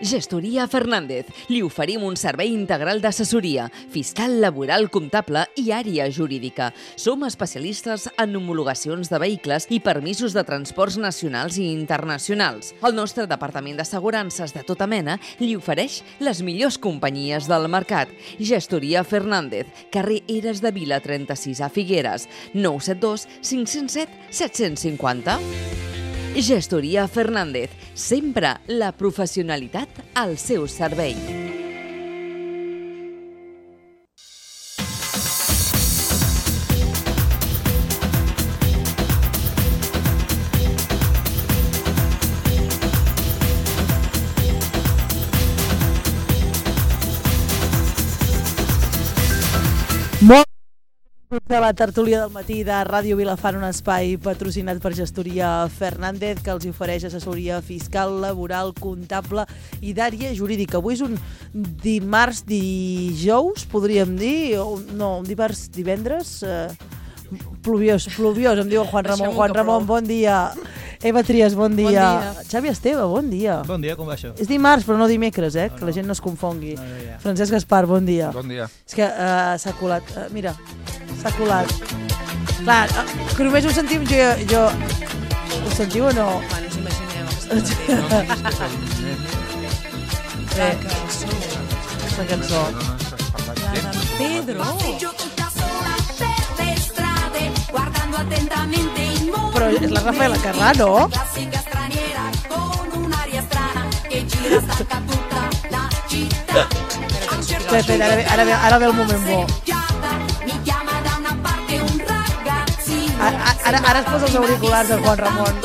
Gestoria Fernández. Li oferim un servei integral d'assessoria, fiscal, laboral, comptable i àrea jurídica. Som especialistes en homologacions de vehicles i permisos de transports nacionals i internacionals. El nostre departament d'assegurances de tota mena li ofereix les millors companyies del mercat. Gestoria Fernández, carrer Eres de Vila 36 a Figueres, 972 507 750. Gestoria Fernández, sempre la professionalitat al seu servei. De la tertúlia del matí de Ràdio Vilafant, un espai patrocinat per Gestoria Fernández que els ofereix assessoria fiscal, laboral, comptable i d'àrea jurídica. Avui és un dijous, podríem dir, no, un divendres, pluviós, em diu el Juan Ramon. Juan Ramon, bon dia. Eva Trias, bon dia. Xavi Esteve, bon dia. Bon dia, com va això? És dimarts, però no dimecres, que la gent no es confongui. Francesc Gaspar, bon dia. Bon dia. És que s'ha colat, mira, s'ha colat. Clar, que només ho sentim jo. Ho sentiu o no? Quan us imagineu la cançó. La d'en Pedro. Però és la Rafaela Carrà, no? Espera, ara ve el moment bo. Ara es posa els auriculars del Juan Ramon.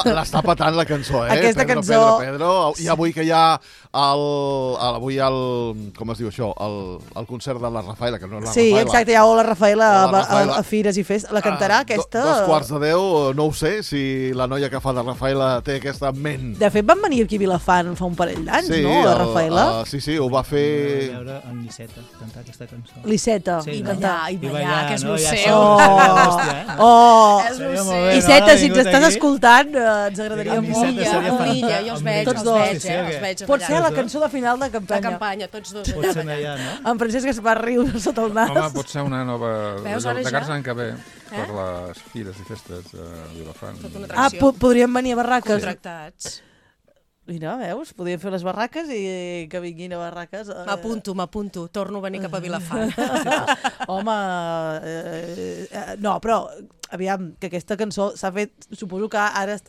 L'està patant la cançó, Aquesta cançó. Pedro. I avui que hi ha com es diu això? El concert de la Rafaela, que no és la Rafaela. Sí, exacte, hi ha la Rafaela a Fires i Fes. La cantarà aquesta? 9:45, no ho sé, si la noia que fa de Rafaela té aquesta en ment. De fet, van venir aquí a Vilafant fa un parell d'anys, no? La Rafaela. Sí, ho va fer... Vam veure en Liceta cantar aquesta cançó. Liceta. Sí, I ballar, que és lo seu. És lo seu. Iceta, si ens estàs escoltant, ens agradaria molt. Unilla, jo els veig, Tots dos. els veig. Pot ser la cançó de final de La campanya. campanya, tots dos. Pot ser allà, no? En Francesc Gaspar riu sota el nas. Home, pot ser una nova... Veus, ara de ja? cara l'any que ve, per les fires i festes de Vilafant. Tota una atracció. Podríem venir a barraques. Contractats. Mira, veus? Podríem fer les barraques i que vinguin a barraques. M'apunto. Torno a venir cap a Vilafant. Home, no, però aviam, que aquesta cançó s'ha fet, suposo que ara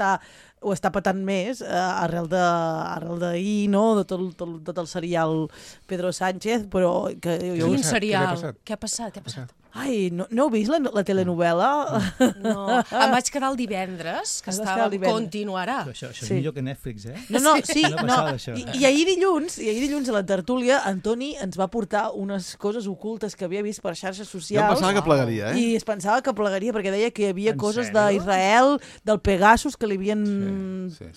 ho està patant més arrel d'ahir, no? De tot el serial Pedro Sánchez, però... Quin serial? Què ha passat? Ai, no heu vist la telenovel·la? No, em vaig quedar el divendres, que continuarà. Això és millor que Netflix, eh? No, sí, no. I ahir dilluns a la tertúlia, en Toni ens va portar unes coses ocultes que havia vist per xarxes socials. Jo pensava que plegaria, I es pensava que plegaria, perquè deia que hi havia coses d'Israel, del Pegasus, que li havien... Sí.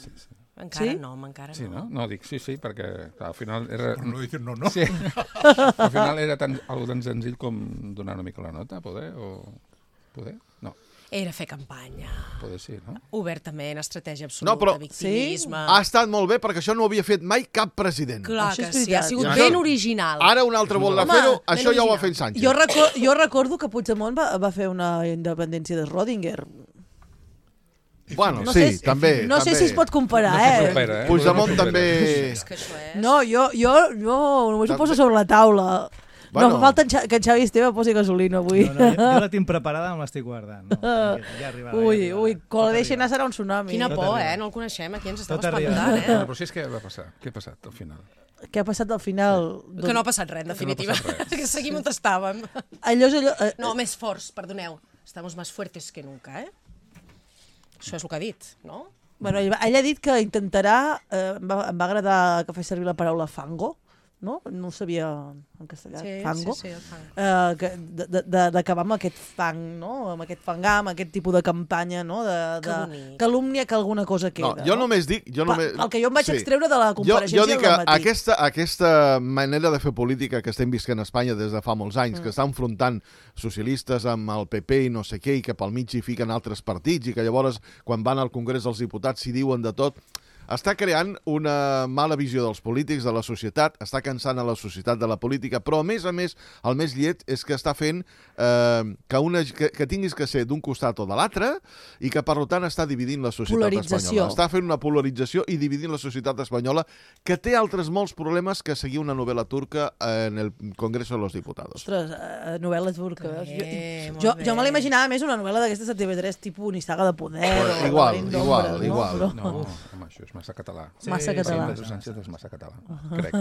Encara no. Sí, no? No, dic sí, perquè al final era... No dic no. Sí. Al final era algo tan senzill com donar una mica la nota, poder? No. Era fer campanya. Poder sí, no? Obertament, estratègia absoluta, No, però victimisme... ha estat molt bé perquè això no ho havia fet mai cap president. Clar Això que és sí, ha veritat. sigut I ben original. Ara un altre vol fer-ho, això ja ho va fer en Sánchez. Jo recordo que Puigdemont va fer una independència de Schrödinger. Bueno, No sí, sé, també. No sé si es pot comparar, Puigdemont també... És que això és... No, jo només ho poso sobre la taula. Bueno. No, falta que en Xavi Esteve posi gasolina avui. No, jo la tinc preparada, me l'estic guardant. No, ja arribarà. Ui, quan la deixi anar serà un tsunami. Quina por, arriba. No el coneixem, aquí ens estava Tot arriba. espantant, Però si és què va passar? Què ha passat al final? Què ha passat al final? Que no ha passat res, en definitiva. Que no ha passat res. Que seguim on estàvem. Allò és allò... No, més forts, perdoneu. Estamos más fuertes que nunca, Això és el que ha dit, no? Bueno, ell ha dit que intentarà... em va agradar que fes servir la paraula fango, no? No ho sabia en castellà, Sí, fango. sí, el fango. D'acabar amb aquest fang, no? Amb aquest fangar, amb aquest tipus de campanya, no? De calúmnia que alguna cosa queda. No, jo només dic... El que jo em vaig extreure de la compareixença jo dic del que matí. aquesta manera de fer política que estem visquent a Espanya des de fa molts anys, que està enfrontant socialistes amb el PP i no sé què, i que pel mig hi fiquen altres partits, i que llavors, quan van al Congrés dels Diputats, s'hi diuen de tot... Està creant una mala visió dels polítics, de la societat, està cansant a la societat de la política, però, a més, el més lleig és que està fent que tinguis que ser d'un costat o de l'altre i que, per tant, està dividint la societat espanyola. Està fent una polarització i dividint la societat espanyola, que té altres molts problemes que seguir una novel·la turca en el Congreso de los Diputados. Ostres, novel·la turca. Jo me l'imaginava més una novel·la d'aquestes de TV3, tipus Nissaga de Poder. Igual. No, home, això és massa català. Massa català. Pedro Sánchez és massa català, crec.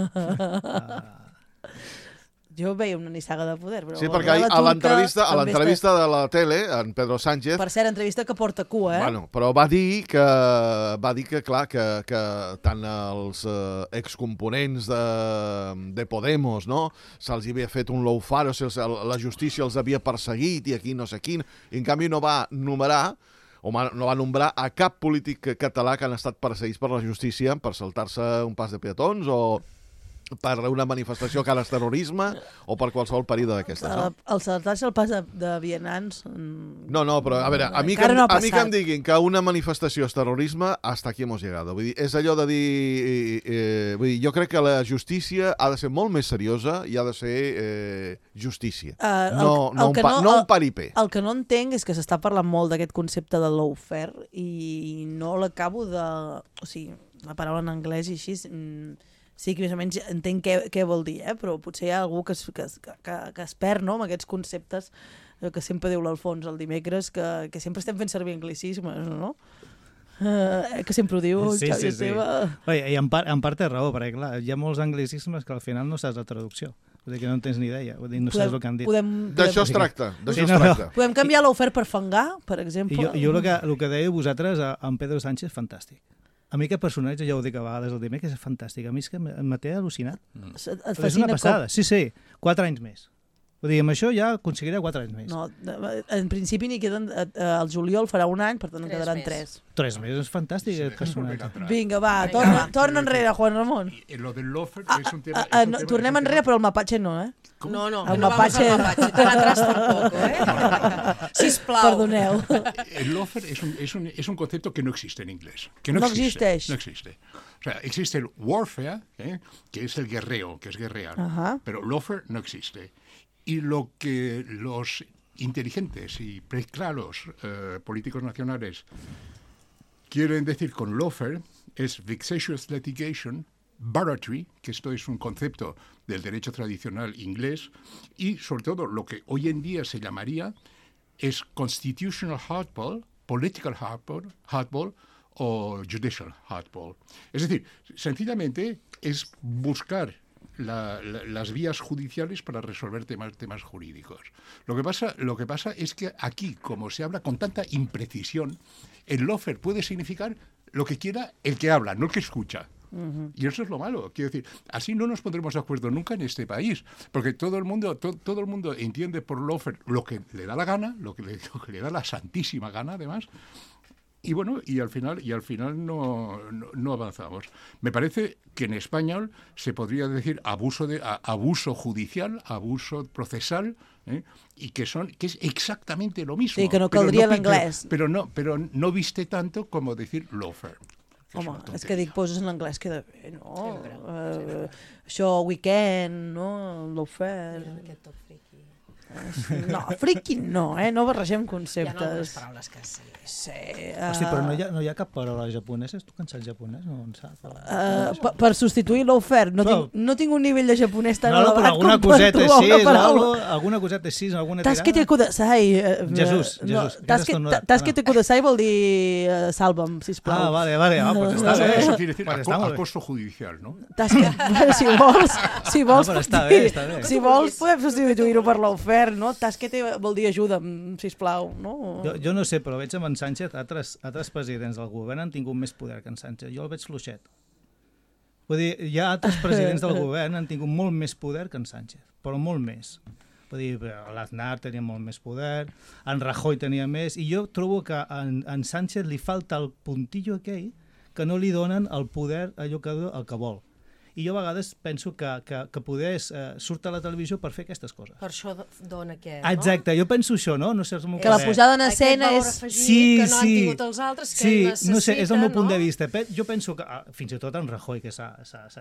Jo veia una Nissaga de Poder, però... Sí, perquè a l'entrevista de la tele, en Pedro Sánchez... Per cert, entrevista que porta cua, Bueno, però va dir que clar, que tant els excomponents de Podemos, no?, se'ls havia fet un lawfare, la justícia els havia perseguit i aquí no sé quin, i en canvi no va numerar o no va nombrar a cap polític català que han estat perseguits per la justícia per saltar-se un pas de peatons o per una manifestació que ara és terrorisme o per qualsevol període d'aquestes. No? El saltar-se el pas de vianants... No, però a veure, a mi que em diguin que una manifestació és terrorisme, hasta aquí hemos llegado. Vull dir, és allò de dir... jo crec que la justícia ha de ser molt més seriosa i ha de ser justícia. No un paripé. El que no entenc és que s'està parlant molt d'aquest concepte de lawfare i no l'acabo de... O sigui, la paraula en anglès i així... Sí que més o menys entenc què vol dir, però potser hi ha algú que es perd, no?, amb aquests conceptes que sempre diu l'Alfons el dimecres, que sempre estem fent servir anglicismes, no? Que sempre ho diu Xavi Esteve. I en part té raó, perquè clar, hi ha molts anglicismes que al final no saps la traducció. Vull dir que no en tens ni idea, vull dir, no saps el que han dit. D'això es tracta. Podem canviar l'ofert per fangar, per exemple? Jo el que dèieu vosaltres, en Pedro Sánchez, fantàstic. A mi aquest personatge, ja ho dic a vegades el dimecres, és fantàstic. A mi és que me té al·lucinat. És una passada. Sí, 4 anys més. Vull dir, amb això ja aconseguiré 4 anys més. No, en principi n'hi queden... El juliol farà 1 any, per tant en quedaran 3. 3 més, és fantàstic aquest personatge. Vinga, va, torna enrere, Juan Ramon. Lo del lofer és un tema... Tornem enrere, però el mapatge no, No, el mapatge... Atrás tampoco, Sisplau. Perdoneu. El lofer es un concepto que no existe en inglés. Que no existe. No existe. O sea, existe el warfare, que es el guerreo, que es guerrear. Pero lofer no existe. Y lo que los inteligentes y preclaros políticos nacionales quieren decir con lawfare es vexatious litigation, barratry, que esto es un concepto del derecho tradicional inglés, y sobre todo lo que hoy en día se llamaría es constitutional hardball, political hardball o judicial hardball. Es decir, sencillamente es buscar las vías judiciales para resolver temas jurídicos. Lo que pasa es que aquí, como se habla con tanta imprecisión, el lawfare puede significar lo que quiera el que habla, no el que escucha. Y eso es lo malo. Quiero decir, así no nos pondremos de acuerdo nunca en este país, porque todo el mundo entiende por lawfare lo que le da la gana, lo que le da la santísima gana, además. Y bueno, y al final no avanzamos. Me parece que en español se podría decir abuso judicial, abuso procesal, y que es exactamente lo mismo. Sí, que no caldria l'anglès. Pero no viste tanto como decir lawfare. Home, és que dic, poses en anglès queda bé, no? Això, weekend, no? Lawfare... Aquest tot friqui. No, friki no, no barregem conceptes. Hi ha algunes paraules que sí. Sí. Hosti, però no hi ha cap paraula japonesa? Tu que en saps japonès? No en saps? Per substituir l'ofert. No tinc un nivell de japonès tan elevat com per trobar una paraula. Alguna coseta així, alguna tirada? Taskete kudasai. Jesús. Taskete kudasai vol dir salva'm, sisplau. Vale. Pues està bé. Eso quiere decir acoso judicial, ¿no? Si vols, podem substituir-ho per l'ofert. No? Taskete vol dir ajuda'm, sisplau. No? Jo no sé, però veig amb en Sánchez, altres presidents del govern han tingut més poder que en Sánchez. Jo el veig fluixet. Vull dir, hi ha altres presidents del govern han tingut molt més poder que en Sánchez, però molt més. Vull dir, l'Aznar tenia molt més poder, en Rajoy tenia més, i jo trobo que en Sánchez li falta el puntillo aquell que no li donen el poder allò el que vol. I jo a vegades penso que poder surt a la televisió per fer aquestes coses. Per això dona què, no? Exacte, jo penso això, no? No sé, és el meu que la posada en escena és... Sí, que no han tingut els altres, que necessiten... No sé, és el meu punt de vista. Jo penso que, fins i tot en Rajoy, que s'ha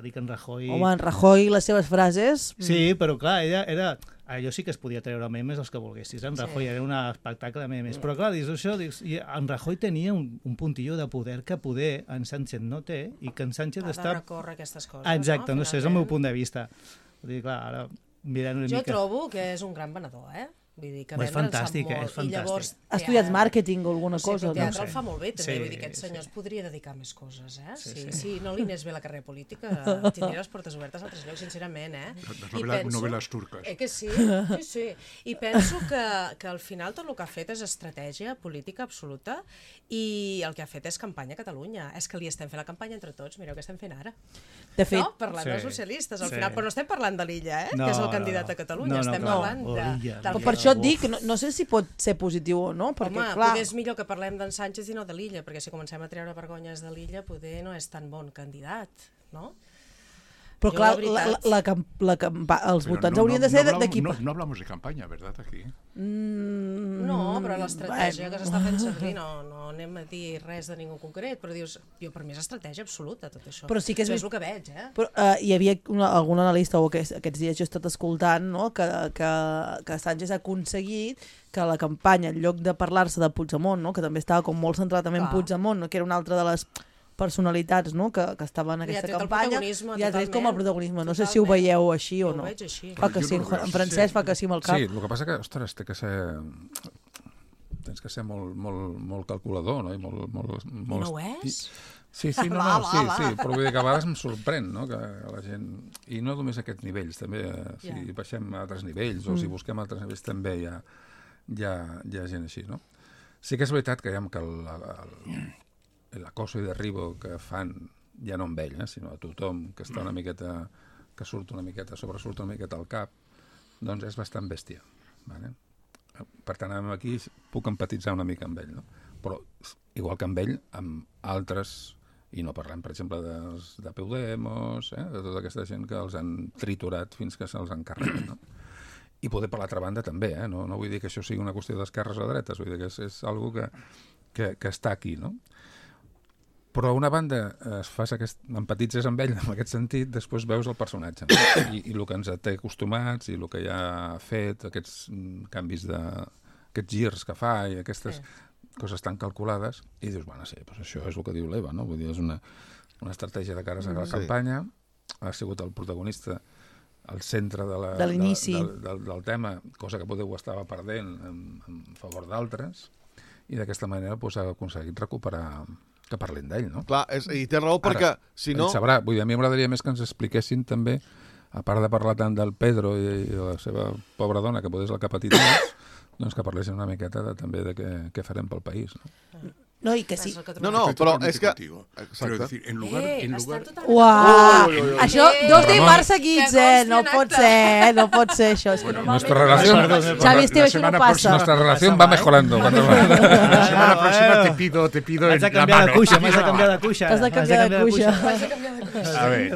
dit que en Rajoy... Home, en Rajoy, les seves frases... Sí, però clar, ella era... Allò sí que es podia treure memes els que volguessis. En Rajoy era un espectacle de memes. Però clar, dius això, en Rajoy tenia un puntillo de poder que poder en Sánchez no té i que en Sánchez està... Ha de recórrer aquestes coses, exacte, no sé, és el meu punt de vista. Vull dir, clar, ara mirant una mica... Jo trobo que és un gran venedor, Vull dir que és fantàstic, és fantàstic. I llavors, ha estudiat màrqueting o alguna cosa, no? Teatre el fa molt bé, també. Vull dir que aquest senyor es podria dedicar a més coses, Si no li anés bé la carrera política, tindria les portes obertes a altres llocs, sincerament, Les novel·les turques. Que sí. I penso que al final tot el que ha fet és estratègia política absoluta i el que ha fet és campanya a Catalunya. És que li estem fent la campanya entre tots, mireu què estem fent ara. De fet... No? Parlant dels socialistes, al final, però no estem parlant de l'Illa, que és el candidat a Catalunya, estem parlant de... Per això et dic, no sé si pot ser positiu o no, perquè, home, clar... potser és millor que parlem d'en Sánchez i no de l'Illa, perquè si comencem a treure vergonyes de l'Illa, potser no és tan bon candidat, no? Però clar, els votants haurien de ser d'aquí... No hablamos de campanya, ¿verdad, aquí? No, però l'estratègia que s'està fent servir, no anem a dir res de ningú concret, però dius, per mi és estratègia absoluta, tot això. Però sí que és el que veig, Però, hi havia algun analista, o aquests dies jo he estat escoltant, no? que Sánchez ha aconseguit que la campanya, en lloc de parlar-se de Puigdemont, no? Que també estava com molt centrat també en Puigdemont, no? Que era una altra de les personalitats, no? que estaven en aquesta campanya, i ha tret com el protagonisme. No sé si ho veieu així o no. Fa que sí, en francès fa que sí amb el cap. Sí, el que passa que, ostres, tens que ser molt calculador, no? I molt... No ho és? Sí, però vull dir que a vegades em sorprèn, no? Que la gent... I no només a aquests nivells, també, si baixem a altres nivells o si busquem altres nivells també hi ha gent així, no? Sí que és veritat que l'acoso i derribo que fan, ja no amb ell, sinó a tothom que està una miqueta, que surt una miqueta, sobresurt una miqueta al cap, doncs és bastant bèstia. Vale? Per tant, aquí puc empatitzar una mica amb ell, no? Però, igual que amb ell, amb altres, i no parlem, per exemple, de Podemos, de tota aquesta gent que els han triturat fins que se'ls han carregat, no? I poder per l'altra banda també, no vull dir que això sigui una qüestió d'esquerres o dretes, vull dir que és algo que està aquí, no? Però a una banda empatitzes amb ell en aquest sentit, després veus el personatge, no? I el que ens té acostumats i el que ja ha fet, aquests canvis aquests girs que fa i aquestes coses tan calculades, i dius, bueno, sí, doncs això és el que diu l'Eva, no? Vull dir, és una estratègia de cares a la campanya, ha sigut el protagonista al centre de l'inici del tema, cosa que potser ho estava perdent en favor d'altres, i d'aquesta manera ha aconseguit recuperar que parlin d'ell, no? Clar, i té raó perquè, si no... Sabrà, vull dir, a mi m'agradaria més que ens expliquessin també, a part de parlar tant del Pedro i la seva pobra dona, que potser és el que ha patit més, doncs que parlessin una miqueta també de què farem pel país, no? No, i que sí. No, però és que... Però decir, en lugar... Uau! Això, 2 dimarts seguits, no pot ser això. És que nuestra relación... Xavi, això no passa. Nuestra relación va mejorando. La semana próxima te pido en la mano. M'has de canviar de cuixa. T'has de canviar de cuixa. A ver,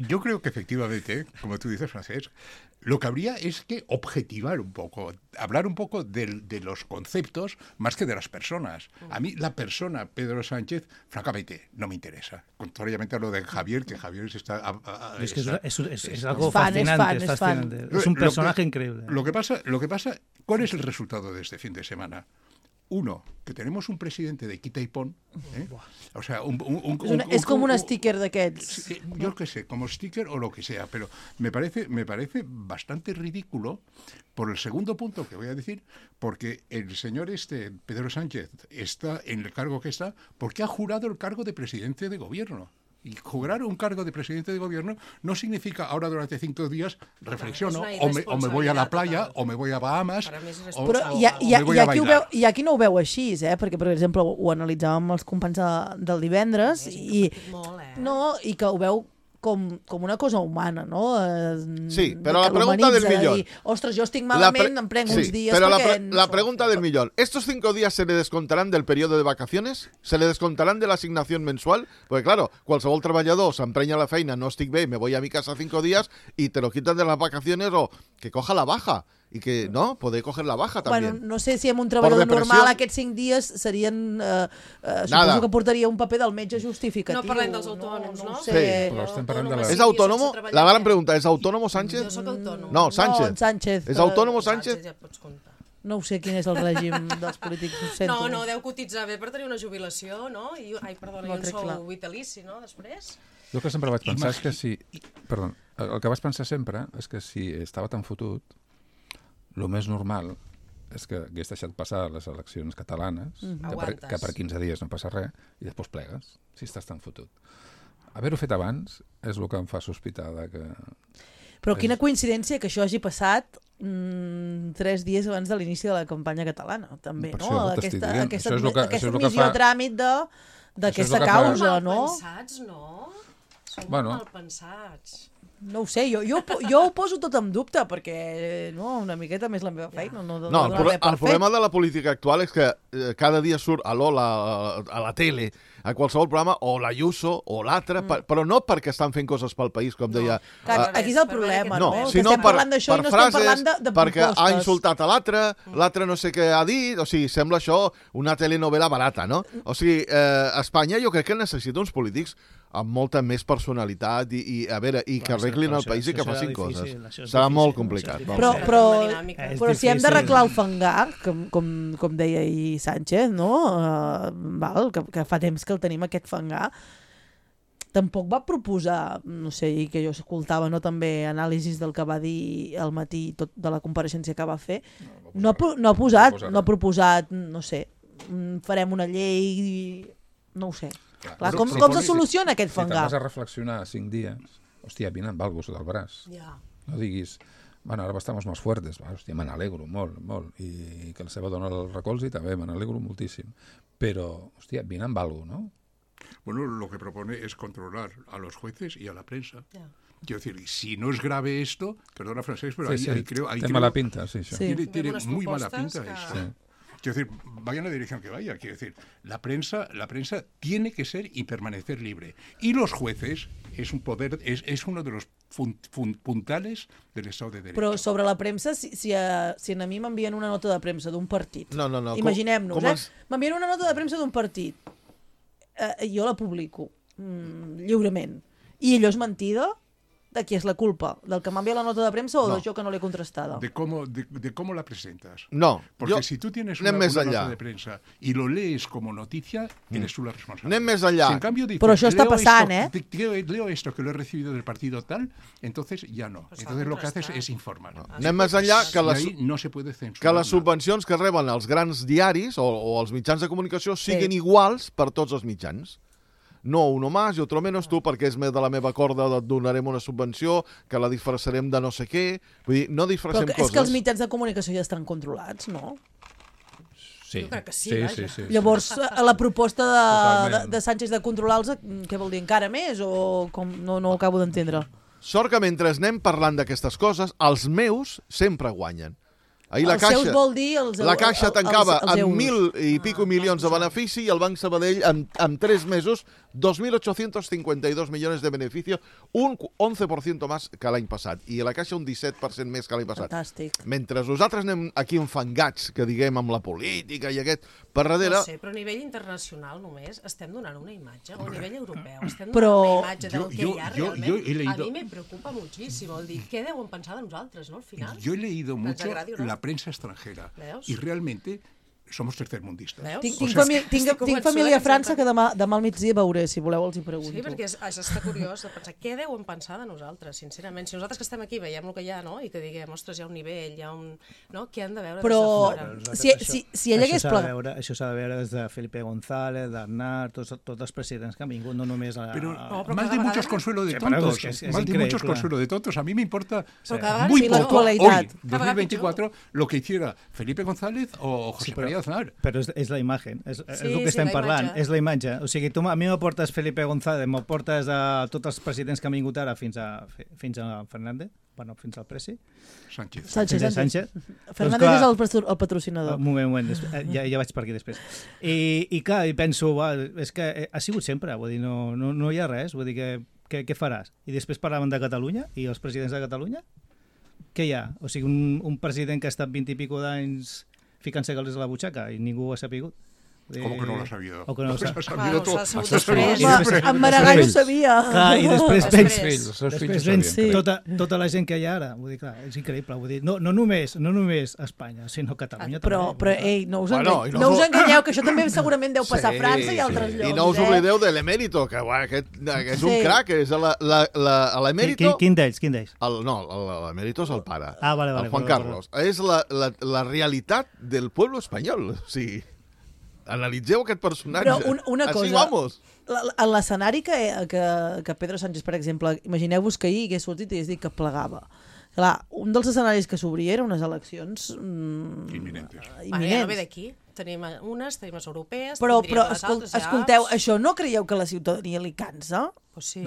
yo creo que efectivamente, como tú dices, Francesc, lo que habría es que objetivar un poco, hablar un poco de los conceptos más que de las personas. A mí la persona Pedro Sánchez, francamente, no me interesa. Contrariamente a lo de Javier, que Javier se está... Es algo fascinante, es un personaje increíble. Lo que pasa, ¿cuál es el resultado de este fin de semana? Uno, que tenemos un presidente de quita y pon, o sea, es como un sticker d'aquests. Yo qué sé, como sticker o lo que sea, pero me parece bastante ridículo por el segundo punto que voy a decir, porque el señor Pedro Sánchez, está en el cargo que está porque ha jurado el cargo de presidente de gobierno. Y jugar un cargo de presidente de gobierno no significa ahora durante 5 días reflexiono, És o una me voy a la playa, irresponsabilitat o me voy a Bahamas, Per a mi és o Però me voy a bailar. hi ha qui no ho veu així, perquè, per exemple, ho analitzàvem amb els companys del divendres, i que ho veu com una cosa humana, no? Sí, però la pregunta del millón. Ostres, jo estic malament, em prenc uns días pero perquè... la pregunta del millón. ¿Estos 5 días se le descontarán del periodo de vacaciones? ¿Se le descontarán de la asignación mensual? Porque claro, qualsevol treballador s'emprenya a la feina, no estic bé, me voy a mi casa 5 días y te lo quitan de las vacaciones o que coja la baja. I que, no, poder coger la baja també. Bueno, no sé si amb un treballador normal aquests 5 dies serien... suposo que portaria un paper del metge justificatiu. No parlem dels autònoms, no? Sí. Però estem parlant de la... ¿Es autónomo? La gran pregunta, ¿es autónomo Sánchez? Jo soc autònom. No, Sánchez. No, Sánchez. ¿Es autónomo Sánchez? Ja pots comptar. No ho sé quin és el règim dels polítics, ho sento. No, deu cotitzar bé per tenir una jubilació, no? I un sou vitalici, no, després? Jo el que sempre vaig pensar és que si... Perdó, el que vaig pensar sempre és que si estava tan fotut, el més normal és que hagués deixat passar les eleccions catalanes, que per 15 dies no passa res, i després plegues, si estàs tan fotut. Haver-ho fet abans és el que em fa sospitar de que... Però quina coincidència que això hagi passat 3 dies abans de l'inici de la campanya catalana, també, no? Aquesta admissió a tràmit d'aquesta causa, no? Mal pensats, no? Som mal pensats. No ho sé, jo ho poso tot en dubte, perquè una miqueta més la meva feina. No, el problema de la política actual és que cada dia surt a l'Ola, a la tele, a qualsevol programa, o l'Ayuso o l'altre, però no perquè estan fent coses pel país, com deia... Aquí és el problema, no? Que sinó estem parlant d'això i no estem parlant de propostes. Perquè ha insultat a l'altre no sé què ha dit, o sigui, sembla això una telenovela barata, no? O sigui, Espanya jo crec que necessita uns polítics amb molta més personalitat i que arreglin el país i que facin coses. Serà molt complicat. Però si hem d'arreglar el fangar, com deia ahir Sánchez, no? Que fa temps que el tenim aquest fangar, tampoc va proposar, no sé, i que jo escoltava també anàlisis del que va dir al matí tot de la compareixença que va fer, no ha proposat, no sé, farem una llei, no ho sé. Clar, com se soluciona aquest fangar? Si t'has a reflexionar 5 dies, hòstia, vine amb algo sota el braç. No diguis, bueno, ahora estamos más fuertes. Hòstia, me n'alegro molt, molt. I que la seva dona el recolzi també, me n'alegro moltíssim. Però, hòstia, vine amb algo, ¿no? Bueno, lo que propone es controlar a los jueces y a la prensa. Quiero decir, si no es grave esto, perdona Francesc, pero ahí creo... Tiene mala pinta, sí. Tiene muy mala pinta esto. Sí. Quiero decir, vaya en la dirección que vaya. Quiero decir, la prensa tiene que ser y permanecer libre. Y los jueces es un poder, es uno de los puntales del Estado de Derecho. Però sobre la premsa, si a mi m'envien una nota de premsa d'un partit, imaginem-nos, m'envien una nota de premsa d'un partit, jo la publico lliurement, i allò és mentida, de qui és la culpa? Del que m'envia la nota de premsa o de jo que no l'he contrastada? De cómo la presentas. No. Porque si tú tienes una nota de prensa y lo lees como noticia, eres tú la responsable. Anem més enllà. Si en cambio dices, però això està passant, leo esto que lo he recibido del partido tal, entonces ya no. Entonces lo que haces es informar. Anem més enllà no se puede censurar. Que les subvencions que reben els grans diaris o els mitjans de comunicació siguin iguals per tots els mitjans. No uno más i otro menos, tu perquè és de la meva corda et donarem una subvenció, que la disfressarem de no sé què. Vull dir, no disfressem coses. Però és que els mitjans de comunicació ja estan controlats, no? Sí. Jo crec que sí. Llavors, la proposta de Sánchez de controlar-los, què vol dir, encara més? O com no ho acabo d'entendre? Sort que mentre anem parlant d'aquestes coses, els meus sempre guanyen. Ahir els seus vol dir la Caixa tancava amb 1.000 i pico milions de benefici i el Banc Sabadell en 3 mesos 2.852 millones de beneficio, un 11% més que l'any passat, i la Caixa un 17% més que l'any passat. Fantàstic. Mentre nosaltres anem aquí enfangats, que diguem, amb la política i aquest, per darrere... No sé, però a nivell internacional només estem donant una imatge, o a nivell europeu, estem donant una imatge del que hi ha realment. A mi me preocupa muchísimo el dir, què deuen pensar de nosaltres, no, al final? Yo he leído mucho la prensa extranjera y realmente somos tercermundistas. Tinc família a França que demà al migdia veuré, si voleu els hi pregunto. Sí, perquè això està curiós de pensar què deuen pensar de nosaltres, sincerament. Si nosaltres que estem aquí veiem el que hi ha, no? I que diguem, ostres, hi ha un nivell, hi ha un... No? Què han de veure però, des de fora? Si ell hagués plegat... Això s'ha de veure des de Felipe González, d'Aznar, tots els presidents que han vingut, no només... Pero más de muchos consuelo de tontos. Más de muchos consuelo de tontos. A mí me importa muy poco hoy, 2024, lo que hiciera Felipe González o José María Aznar. Però és la imatge, és el que estem parlant, és la imatge. O sigui, tu a mi m'aportes Felipe González, m'aportes a tots els presidents que han vingut ara fins a Fernández, bueno, fins al Presi. Sánchez. Fernández és el patrocinador. Un moment, ja vaig per aquí després. I clar, penso, és que ha sigut sempre, vull dir, no hi ha res, vull dir que què faràs? I després parlaven de Catalunya i els presidents de Catalunya? Què hi ha? O sigui, un president que ha estat 20 i pico d'anys ficant-se calés a la butxaca i ningú ho ha sapigut. ¿Cómo que no lo ha sabido? O que no lo ha sabido todo. En Maragall ho sabia. Clar, i després vens tota la gent que hi ha ara. Vull dir, clar, és increïble. Vull dir, no només Espanya, sinó Catalunya també. Però ei, no us enganyeu, que això també segurament deu passar a França i a altres llocs. I no us oblideu de l'emèrito, que és un crac, és l'emèrito... Quin d'ells? No, l'emèrito és el pare, vale, el Juan Carlos. És la realitat del pueblo espanyol, o sigui... Analitzeu aquest personatge. Però una cosa, vamos. En l'escenari que Pedro Sánchez, per exemple, imagineu-vos que ahir hagués sortit i hagués dit que plegava. Clar, un dels escenaris que s'obria eren unes eleccions imminentes. Ja no ve d'aquí. Tenim unes europees... Però escolteu, això no creieu que a la ciutadania li cansa? Pues sí.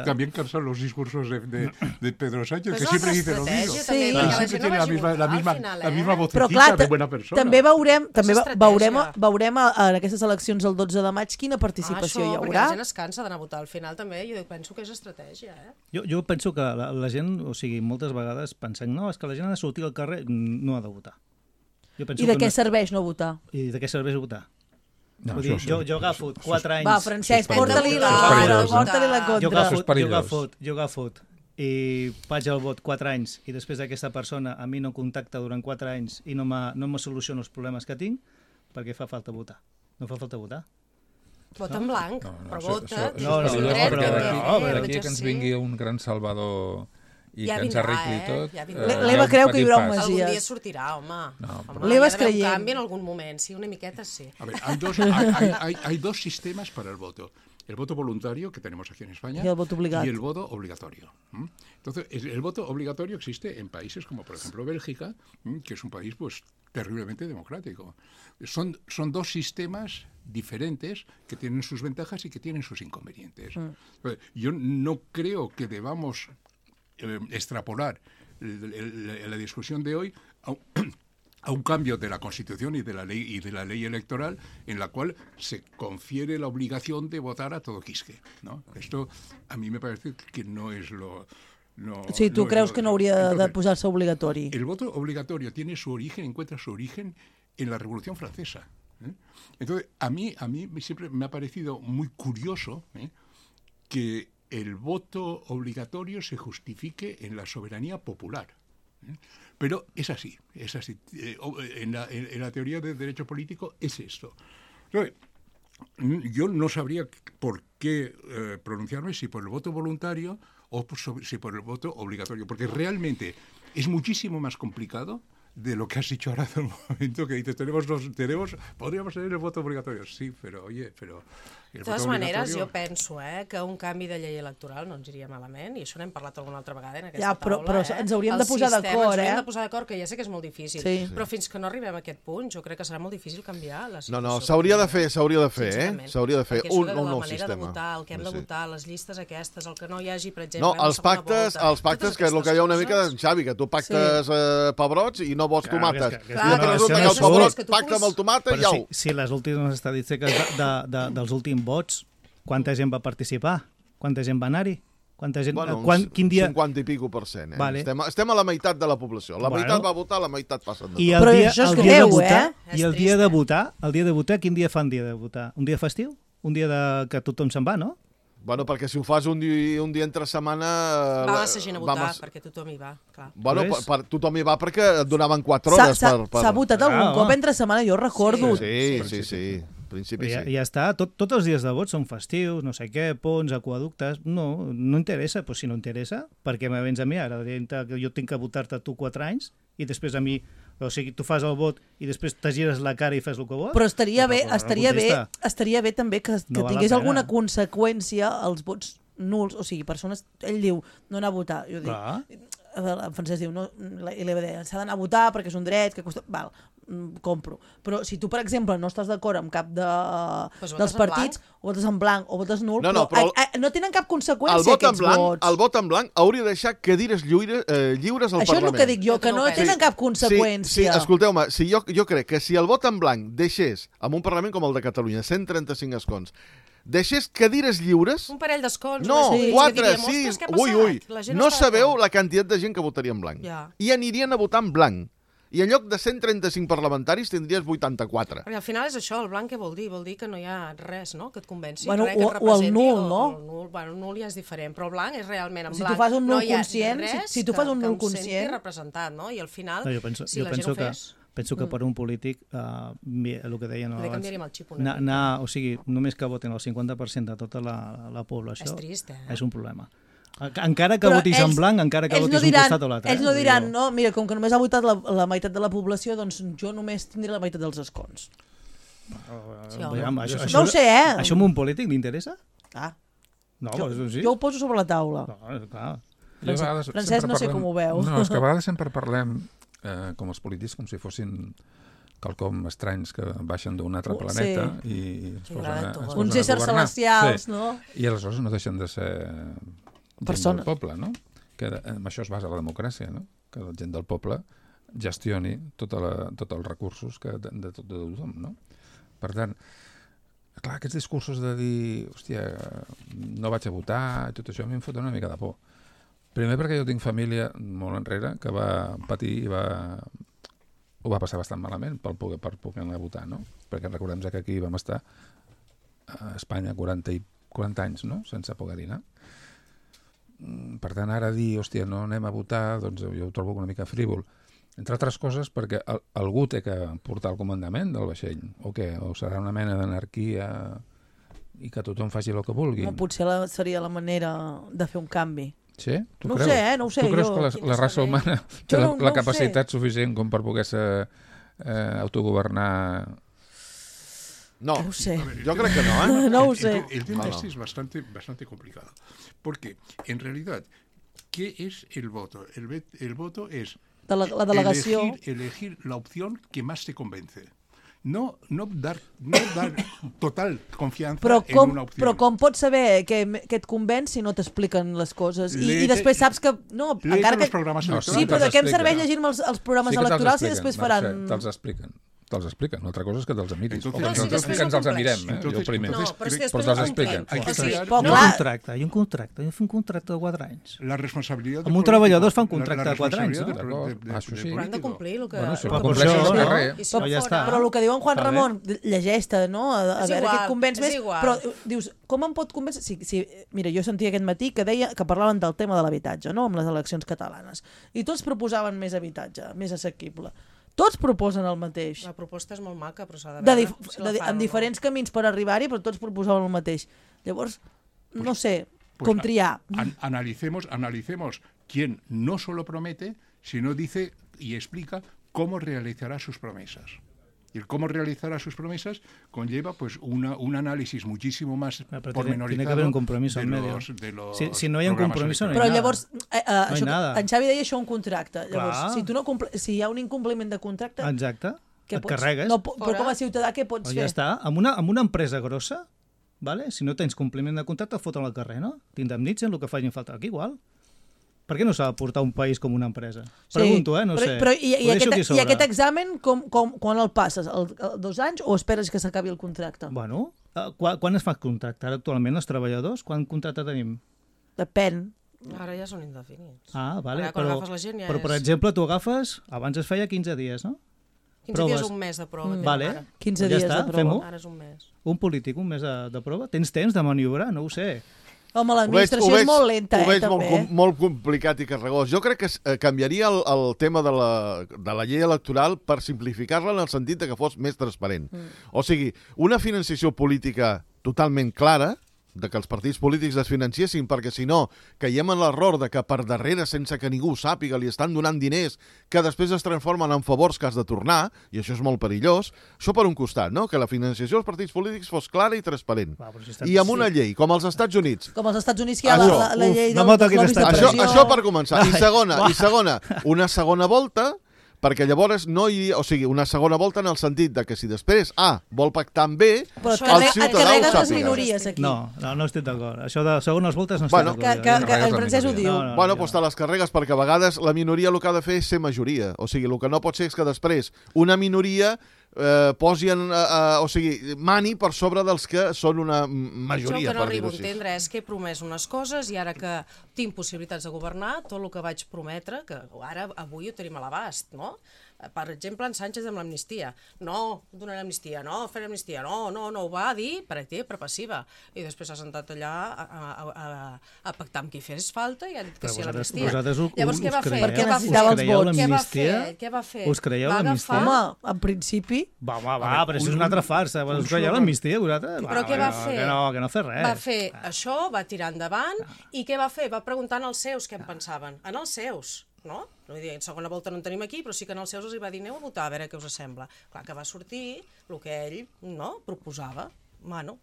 También cansan los discursos de Pedro Sánchez, que siempre dice lo mismo. Sí. Siempre tiene la misma vocecita clar, de buena persona. També veurem en aquestes eleccions el 12 de maig quina participació hi haurà. Perquè la gent es cansa d'anar a votar al final també, jo penso que és estratègia. Jo penso que la gent, o sigui, moltes vegades pensem, no, és que la gent ha de sortir al carrer, no ha de votar. I de què serveix no votar? I de què serveix votar? No, jo agafo 4 anys... Va, Francesc, porta-li la contra. Jo agafo i vaig al vot 4 anys i després d'aquesta persona a mi no contacta durant 4 anys i no me soluciona els problemes que tinc, perquè fa falta votar. No fa falta votar. Vota en blanc, però vota. D'aquí que ens vingui un gran salvador i que ens arregli tot. L'Eva creu que hi haurà un Masies. Algun dia sortirà, home. L'Eva es creient. Un canvi en algun moment, sí, una miqueta sí. A ver, hay dos sistemas para el voto. El voto voluntario, que tenemos aquí en España, y el voto obligatorio. Entonces, el voto obligatorio existe en países como, por ejemplo, Bélgica, que es un país pues terriblemente democrático. Son dos sistemas diferentes que tienen sus ventajas y que tienen sus inconvenientes. Yo no creo que debamos extrapolar la discusión de hoy a un cambio de la Constitución y de la ley electoral en la cual se confiere la obligación de votar a todo quisque, ¿no? Esto a mí me parece que no es lo... Sí, tu creus que no hauria de posar-se obligatori. El voto obligatorio encuentra su origen en la Revolución Francesa. Entonces, a mí siempre me ha parecido muy curioso que el voto obligatorio se justifique en la soberanía popular. Pero es así. En la teoría del derecho político es esto. Yo no sabría por qué pronunciarme si por el voto voluntario o si por el voto obligatorio, porque realmente es muchísimo más complicado de lo que has dicho ahora hace un momento, que dices, podríamos tener el voto obligatorio. Sí, pero oye, de totes maneres, jo penso que un canvi de llei electoral no ens iria malament, i això n'hem parlat alguna altra vegada en aquesta taula. Però ens hauríem de posar d'acord, Ens hauríem de posar d'acord, que ja sé que és molt difícil, però fins que no arribem a aquest punt, jo crec que serà molt difícil canviar la situació. No, s'hauria de fer, S'hauria de fer un nou sistema. El que hem de votar, les llistes aquestes, el que no hi hagi, per exemple... No, els pactes, que és el que hi ha una mica de Xavi, que tu pactes pebrots i no vols tomates. I resulta que el pebrot pacta amb el tomata i au. Si les últimes estadístiques dels últims vots, quanta gent va participar? Quanta gent va anar-hi? Quin dia... 50 i pico %. Vale. Estem a la meitat de la població. La meitat va votar, la meitat passen de tot. Però això és greu, I el dia de votar, quin dia fan dia de votar? Un dia festiu? Un dia que tothom se'n va, no? Bueno, perquè si ho fas un dia entre setmana... Va massa gent a votar, perquè tothom hi va, clar. Bueno, tothom hi va perquè et donaven 4 hores S'ha votat algun cop entre setmana, jo recordo. Sí. Principi sí. Ja està, tots els dies de vot són festius, no sé què, ponts, aquaductes... No interessa, doncs si no interessa, perquè me vens a mi ara, que jo tinc que votar-te tu 4 anys i després a mi... O sigui, tu fas el vot i després te gires la cara i fas el que vols. Però estaria bé també que tingués alguna conseqüència als vots nuls. O sigui, persones... Ell diu, no anar a votar. Jo dic, en francès diu, no, i li va dir, s'ha d'anar a votar perquè és un dret que costa... Val, compro. Però si tu, per exemple, no estàs d'acord amb cap dels partits, o votes en blanc o votes nul, però no tenen cap conseqüència aquests vots. El vot en blanc hauria de deixar cadires lliures al Parlament. Això és el que dic jo, que no tenen cap conseqüència. Sí, escolteu-me, jo crec que si el vot en blanc deixés, en un Parlament com el de Catalunya, 135 escons, deixés cadires lliures... Un parell d'escons. No, 4, 6... Ui. No sabeu la quantitat de gent que votaria en blanc. I anirien a votar en blanc. I en lloc de 135 parlamentaris tindries 84. Perquè al final és això, el blanc què vol dir? Vol dir que no hi ha res, no?, que et convenci. Bueno, res que et o el nul, no? El nul ja és diferent, però el blanc és realment en blanc. Si tu fas un nul no conscient, si tu fas un nul conscient... Que em senti representat, no? I al final, si la gent ho fes... Penso que per un polític, el que deien abans, o sigui, només que voten el 50% de tota la població, és trist, és un problema. Encara que votis en blanc, encara que votis un costat o l'altre. Ells no diran, no, mira, com que només ha votat la meitat de la població, doncs jo només tindré la meitat dels escons. No ho sé, Això a un polític li interessa? Jo ho poso sobre la taula. Francesc, no sé com ho veu. No, és que a vegades sempre parlem com els polítics com si fossin quelcom estranys que baixen d'un altre planeta i es posen a governar. Uns éssers celestials, no? I aleshores no deixen de ser gent del poble, no? Que en això es basa la democràcia, no? Que la gent del poble gestioni tots els recursos de tothom, no? Per tant, clar, aquests discursos de dir, hòstia, no vaig a votar, tot això a mi em fot una mica de por. Primer perquè jo tinc família molt enrere que va patir i ho va passar bastant malament per poder anar a votar, no? Perquè recordem que aquí vam estar a Espanya 40 anys, no?, sense poder-hi anar. Per tant, ara dir, hòstia, no anem a votar, doncs jo ho trobo una mica frívol. Entre altres coses perquè algú té que portar el comandament del vaixell, o què? O serà una mena d'anarquia i que tothom faci el que vulgui? Potser seria la manera de fer un canvi. Sí? No ho sé. Tu creus que la raça humana té la capacitat suficient com per poder-se autogovernar? No, no sé. Yo creo que no, ¿eh? No lo sé. El tema este es bastante complicado. Porque, en realidad, ¿qué es el voto? El voto es la delegación. Elegir la opción que más te convence. No dar total confiança en una opció. Però com pots saber que et convenç si no t'expliquen les coses? I després saps que... No, encara que... Sí, però de què em serveix llegir-me els programes electorals i després faran... Te'ls expliquen. Una altra cosa és que te'ls miris. O que ens els mirem, jo primer. Però te'ls expliquen. Hi ha un contracte. Un contracte de 4 anys. La responsabilitat... Amb un treballador es fa un contracte de 4 anys. Però han de complir el que... Però el que diu en Juan Ramon, llegeix-te, no? A veure què et convenç més. Però dius, com em pot convèncer? Mira, jo sentia aquest matí que deia que parlaven del tema de l'habitatge, no?, amb les eleccions catalanes. I tots proposaven més habitatge, més assequible. Tots proposen el mateix. La proposta és molt maca, però s'ha de veure amb diferents camins per arribar-hi, però tots proposaven el mateix. Llavors, no sé, com triar. Analicemos quién no solo promete, sino dice y explica cómo realizará sus promesas. Y el cómo realizará sus promesas conlleva pues un análisis muchísimo más pormenorizado. Tiene que haber un compromiso en medio. Si no hi ha un compromiso, no hi ha nada. Però llavors, en Xavi deia això un contracte. Llavors, si hi ha un incompliment de contracte... Exacte, et carregues. Però com a ciutadà què pots fer? Ja està, amb una empresa grossa, si no tens compliment de contracte, foten al carrer, no? T'indemnitzen el que facin falta. Aquí igual. Per què no s'ha de portar un país com una empresa? Pregunto, no sé. Però i aquest examen, quan el passes? 2 anys o esperes que s'acabi el contracte? Bueno, quan es fa contracte? Ara actualment els treballadors, quan contracte tenim? Depèn. Ara ja són indefinits. Vale, quan agafes la gent ja però per exemple, tu agafes, abans es feia 15 dies, no? 15 dies, un mes de prova. Vale, 15 dies de prova. Ara és un mes. Un polític, un mes de prova? Tens temps de maniobrar? No ho sé. Home, l'administració és molt lenta, també. Ho veig molt complicat i carregós. Jo crec que canviaria el tema de la llei electoral per simplificar-la en el sentit que fos més transparent. O sigui, una financiació política totalment clara, de que els partits polítics es financiessin, perquè si no caiem en l'error de que per darrere, sense que ningú ho sàpiga, li estan donant diners que després es transformen en favors que has de tornar, i això és molt perillós. Això per un costat, no? Que la financiació dels partits polítics fos clara i transparent. I amb una llei, com als Estats Units. Com als Estats Units, que hi ha la llei dels lobbies de pressió. Això per començar. I segona, una segona volta, perquè llavors no hi ha... O sigui, una segona volta en el sentit de que si després vol pactar amb B, el ciutadà ho sàpiga. No estic d'acord. Això de segones voltes no estic d'acord. Que el francès ho diu. Bueno, doncs te les carregues, perquè a vegades la minoria el que ha de fer és ser majoria. O sigui, el que no pot ser és que després una minoria mani per sobre dels que són una majoria. Jo el que no arribo a entendre és que he promès unes coses i ara que tinc possibilitats de governar, tot el que vaig prometre, que ara avui ho tenim a l'abast, no? Per exemple, en Sánchez amb l'amnistia. No, donaré amnistia, no, faré amnistia, no, ho va dir per activa i per passiva. I després s'ha sentat allà a pactar amb qui fes falta i ha dit que sí a l'amnistia. Llavors, què va fer? Perquè necessitava els vots. Què va fer? Us creieu l'amnistia? Home, en principi... Va, però això és una altra farsa. Us creieu l'amnistia, vosaltres? Però què va fer? Que no fer res. Va fer això, va tirar endavant, i què va fer? Va preguntar als seus què en pensaven. En els seus. No? En segona volta no en tenim aquí, però sí que en els seus els va dir aneu a votar, a veure què us sembla. Clar que va sortir el que ell proposava. Bueno,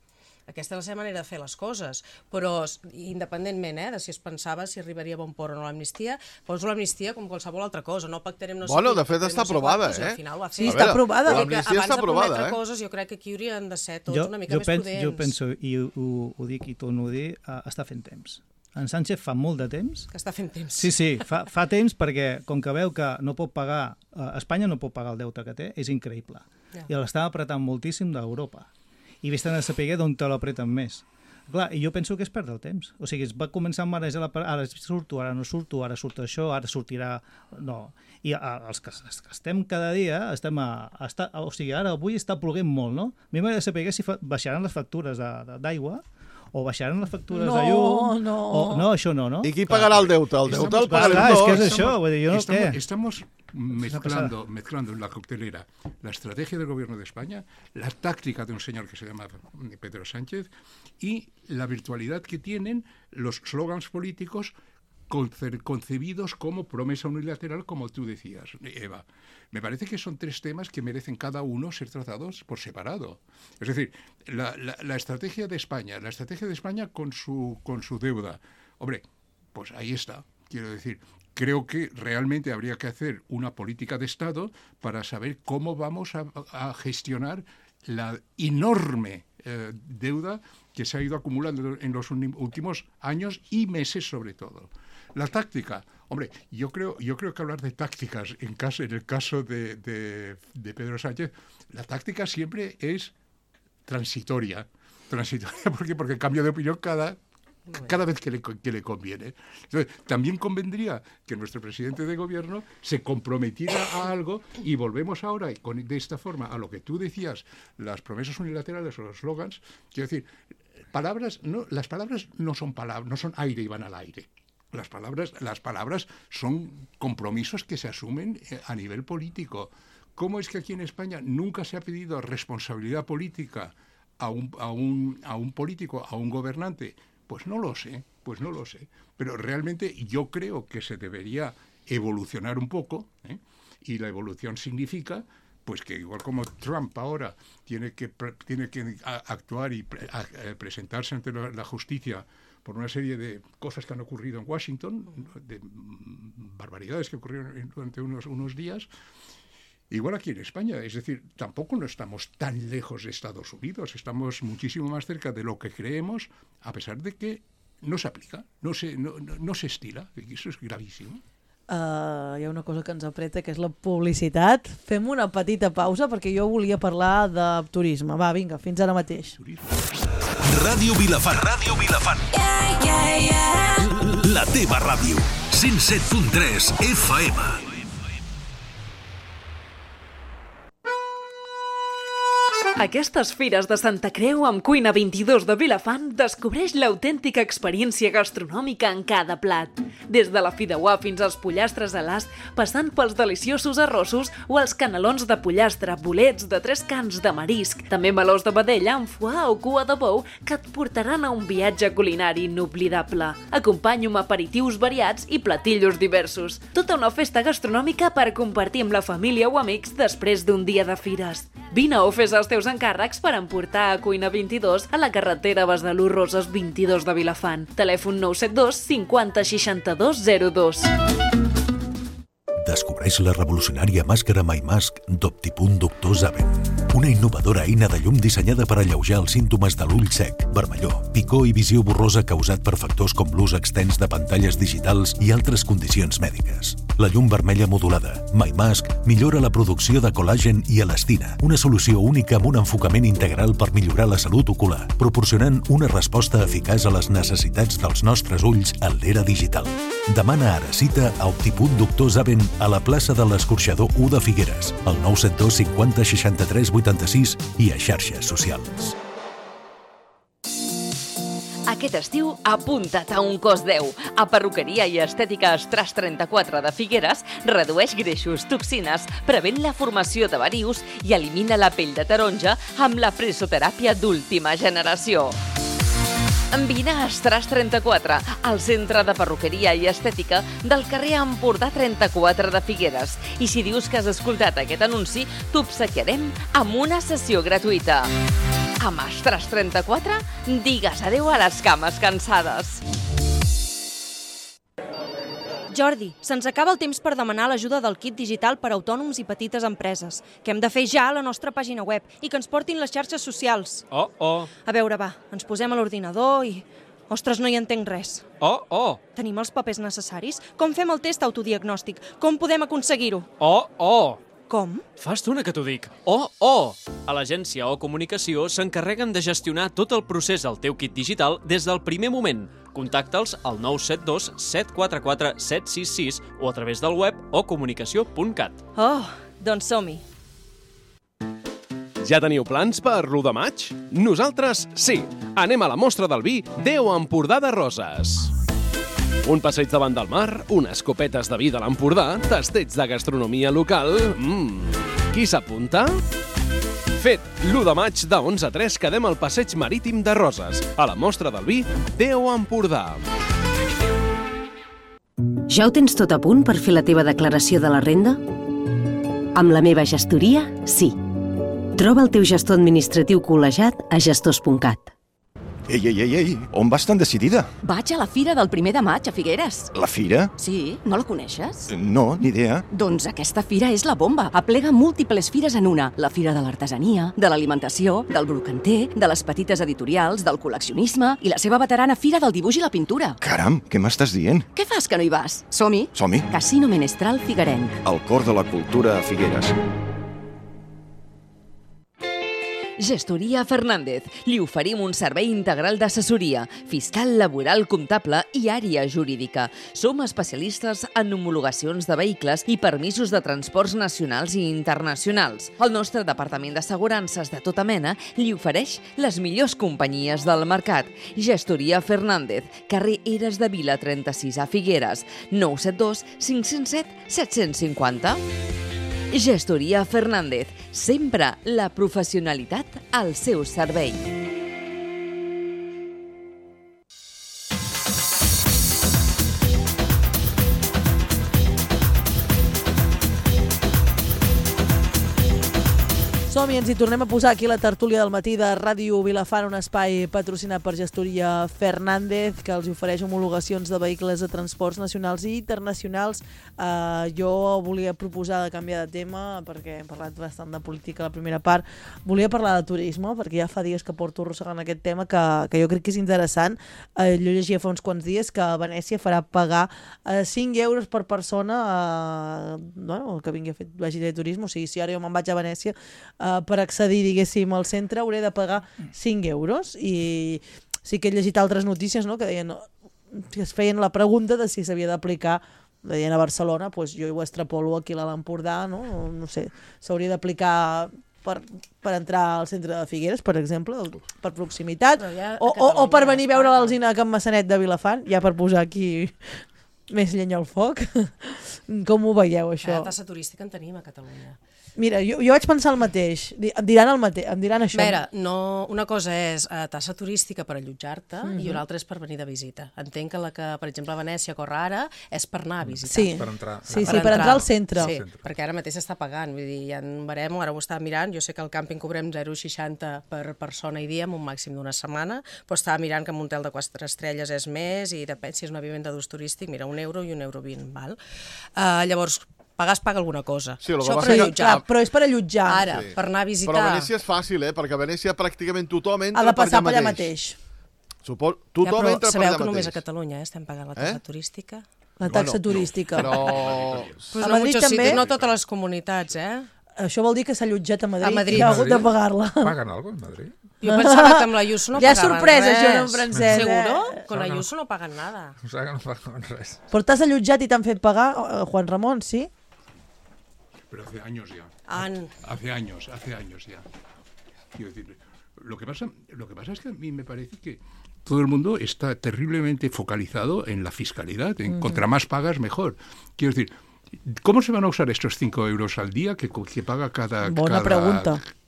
aquesta és la seva manera de fer les coses, però independentment de si es pensava si arribaria a bon port o no l'amnistia, poso l'amnistia com qualsevol altra cosa, no pactarem no sé de fet està aprovada, Al final ho ha fet. Sí, està aprovada. L'amnistia està aprovada, Abans de prometre coses, jo crec que aquí haurien de ser tots una mica més prudents. Jo penso, i ho dic i torno a dir, està fent temps. En Sánchez fa molt de temps. Que està fent temps. Sí, fa temps perquè com que veu que no pot pagar, Espanya no pot pagar el deute que té, és increïble. I l'estava apretant moltíssim d'Europa. I vés-te'n a saber d'on te l'apreten més. Clar, i jo penso que és perdre el temps. O sigui, es va començar a marejar, ara surto, ara no surto, ara surt això, ara sortirà... No. I els que estem cada dia, o sigui, ara avui està ploguent molt, no? A mi m'agradaria saber si baixaran les factures d'aigua o baixaran les factures de llum... No, això no. I qui pagarà el deute? El deute el pagarem tots. És que és això, vull dir, jo no sé. Estamos mezclando en la coctelera la estrategia del gobierno de España, la táctica de un señor que se llama Pedro Sánchez y la virtualidad que tienen los slogans políticos concebidos como promesa unilateral, como tú decías, Eva. Me parece que son tres temas que merecen cada uno ser tratados por separado. Es decir, la estrategia de España, con su deuda. Hombre, pues ahí está. Quiero decir, creo que realmente habría que hacer una política de Estado para saber cómo vamos a gestionar la enorme deuda que se ha ido acumulando en los últimos años y meses sobre todo. La táctica, hombre, yo creo que hablar de tácticas en el caso de Pedro Sánchez, la táctica siempre es transitoria, porque cambia de opinión cada vez que le conviene. Entonces, también convendría que nuestro presidente de gobierno se comprometiera a algo y volvemos ahora de esta forma a lo que tú decías, las promesas unilaterales o los slogans. Quiero decir, las palabras no son aire y van al aire. Las palabras son compromisos que se asumen a nivel político. ¿Cómo es que aquí en España nunca se ha pedido responsabilidad política a un político, a un gobernante? Pues no lo sé. Pero realmente yo creo que se debería evolucionar un poco, y la evolución significa pues que igual como Trump ahora tiene que actuar y presentarse ante la justicia por una serie de cosas que han ocurrido en Washington, de barbaridades que ocurrieron durante unos días, igual aquí en España. Es decir, tampoco no estamos tan lejos de Estados Unidos, estamos muchísimo más cerca de lo que creemos, a pesar de que no se aplica, no se estila, y eso es gravísimo. Hi ha una cosa que ens apreta, que és la publicitat. Fem una petita pausa perquè jo volia parlar de turisme. Va, vinga, fins ara mateix. Ràdio Vilafant. La teva ràdio. 107.3 FM. Aquestes fires de Santa Creu amb Cuina 22 de Vilafant descobreix l'autèntica experiència gastronòmica en cada plat. Des de la fideuà fins als pollastres a l'ast, passant pels deliciosos arrossos o els canelons de pollastre, bolets de 3 cans de marisc, també melós de vedella amb foie o cua de bou que et portaran a un viatge culinari inoblidable. Acompanyo amb aperitius variats i platillos diversos. Tota una festa gastronòmica per compartir amb la família o amics després d'un dia de fires. Vine o fes els teus encàrrecs per emportar a Cuina 22 a la carretera Besalú Roses 22 de Vilafant. Telèfon 972 50 62 02. Descobreix la revolucionària màscara MyMask d'Optipunt Doctor Zaven. Una innovadora eina de llum dissenyada per alleujar els símptomes de l'ull sec, vermellor, picor i visió borrosa causat per factors com l'ús extens de pantalles digitals i altres condicions mèdiques. La llum vermella modulada, MyMask, millora la producció de col·làgen i elastina, una solució única amb un enfocament integral per millorar la salut ocular, proporcionant una resposta eficaç a les necessitats dels nostres ulls en l'era digital. Demana ara cita a Optipunt Doctor Zaven a la plaça de l'Escorxador 1 de Figueres, al 972 50 63 86 i a xarxes socials. Aquest estiu, apunta't a un cos 10. A Perruqueria i Estètica Estras 34 de Figueres redueix greixos, toxines, prevent la formació de varius i elimina la pell de taronja amb la presoteràpia d'última generació. Vine a Estras 34, al centre de perruqueria i estètica del carrer Empordà 34 de Figueres. I si dius que has escoltat aquest anunci, t'obsequiarem amb una sessió gratuïta. Amb Estras 34, digues adeu a les cames cansades. Jordi, se'ns acaba el temps per demanar l'ajuda del kit digital per a autònoms i petites empreses, que hem de fer ja a la nostra pàgina web i que ens portin les xarxes socials. A veure, va, ens posem a l'ordinador i... Ostres, no hi entenc res. Tenim els papers necessaris? Com fem el test autodiagnòstic? Com podem aconseguir-ho? Com? Fa estona que t'ho dic. A l'agència O Comunicació s'encarreguen de gestionar tot el procés al teu kit digital des del primer moment. Contacta'ls al 972 744 766 o a través del web ocomunicació.cat. Doncs som-hi. Ja teniu plans per l'1 de maig? Nosaltres sí. Anem a la mostra del vi 10 Empordà de Roses. Un passeig davant del mar, unes copetes de vi de l'Empordà, tastets de gastronomia local... Qui s'apunta? Fet, l'1 de maig de 11 a 3 quedem al passeig marítim de Roses, a la mostra del vi 10 Empordà. Ja ho tens tot a punt per fer la teva declaració de la renda? Amb la meva gestoria, sí. Troba el teu gestor administratiu col·legiat a gestors.cat. Ei, on vas tan decidida? Vaig a la Fira del 1 de maig a Figueres. La Fira? Sí, no la coneixes? No, ni idea. Doncs aquesta fira és la bomba. Aplega múltiples fires en una. La Fira de l'Artesania, de l'Alimentació, del Brocanter, de les petites editorials, del col·leccionisme i la seva veterana Fira del Dibuix i la Pintura. Caram, què m'estàs dient? Què fas que no hi vas? Som-hi. Som-hi. Casino Menestral Figuerenc. El cor de la cultura a Figueres. Gestoria Fernández. Li oferim un servei integral d'assessoria, fiscal, laboral, comptable i àrea jurídica. Som especialistes en homologacions de vehicles i permisos de transports nacionals i internacionals. El nostre departament d'assegurances de tota mena li ofereix les millors companyies del mercat. Gestoria Fernández, carrer Eres de Vila 36 a Figueres, 972 507 750. Gestoria Fernández, sempre la professionalitat al seu servei. Som-hi, ens hi tornem a posar aquí la tertúlia del matí de Ràdio Vilafant, un espai patrocinat per Gestoria Fernández, que els ofereix homologacions de vehicles de transports nacionals i internacionals. Jo volia proposar de canviar de tema, perquè hem parlat bastant de política a la primera part. Volia parlar de turisme, perquè ja fa dies que porto arrossegant aquest tema, que jo crec que és interessant. Jo llegia fa uns quants dies que Venècia farà pagar 5 euros per persona, que vingui a fer vagi de turisme. O sigui, si ara jo me'n vaig a Venècia, per accedir, diguéssim, al centre hauré de pagar 5 euros. I sí que he llegit altres notícies, no?, que deien, que es feien la pregunta de si s'havia d'aplicar, deien a Barcelona, doncs jo ho extrapolo aquí a l'Empordà, no sé, s'hauria d'aplicar per entrar al centre de Figueres, per exemple, per proximitat, o per venir a veure l'Alzina Can Massanet de Vilafant, ja per posar aquí més llenya al foc. Com ho veieu, això? La tassa turística en tenim a Catalunya. Mira, jo vaig pensar el mateix. Em diran això. A veure, una cosa és tassa turística per allotjar-te i una altra és per venir de visita. Entenc que la que, per exemple, a Venècia corre ara és per anar a visitar. Sí, per entrar al centre. Sí, perquè ara mateix s'està pagant. Vull dir, ja en verem, ara ho estava mirant, jo sé que al càmping cobrem 0,60 per persona i dia amb un màxim d'una setmana, però estava mirant que en un hotel de 4 estrelles és més i depèn si és una vivenda d'ús turístic, mira, €1 i €1,20, val? Llavors, paga alguna cosa. Sí, això per allotjar. Però és per allotjar. Ara, per anar a visitar... Però a Venècia és fàcil, perquè a Venècia pràcticament tothom entra ha de passar per allà mateix. Tothom entra per allà mateix. Sabeu que només a Catalunya estem pagant la taxa turística? La taxa turística. Però... A Madrid també? No totes les comunitats, Això vol dir que s'ha allotjat a Madrid i ha hagut de pagar-la. Paguen alguna cosa a Madrid? Jo pensava que amb la Ayuso no pagaven res. Ja sorpresa, això, en francès. ¿Seguro? Con la Ayuso no pagan nada. O sigui que no paguen res. Però t'has allotjat i t'han fet pagar, Juan Ramon, sí? Pero hace años ya. Hace años ya. Quiero decir, lo que pasa es que a mí me parece que todo el mundo está terriblemente focalizado en la fiscalidad, en contra más pagas mejor. Quiero decir, ¿cómo se van a usar estos 5 euros al día que paga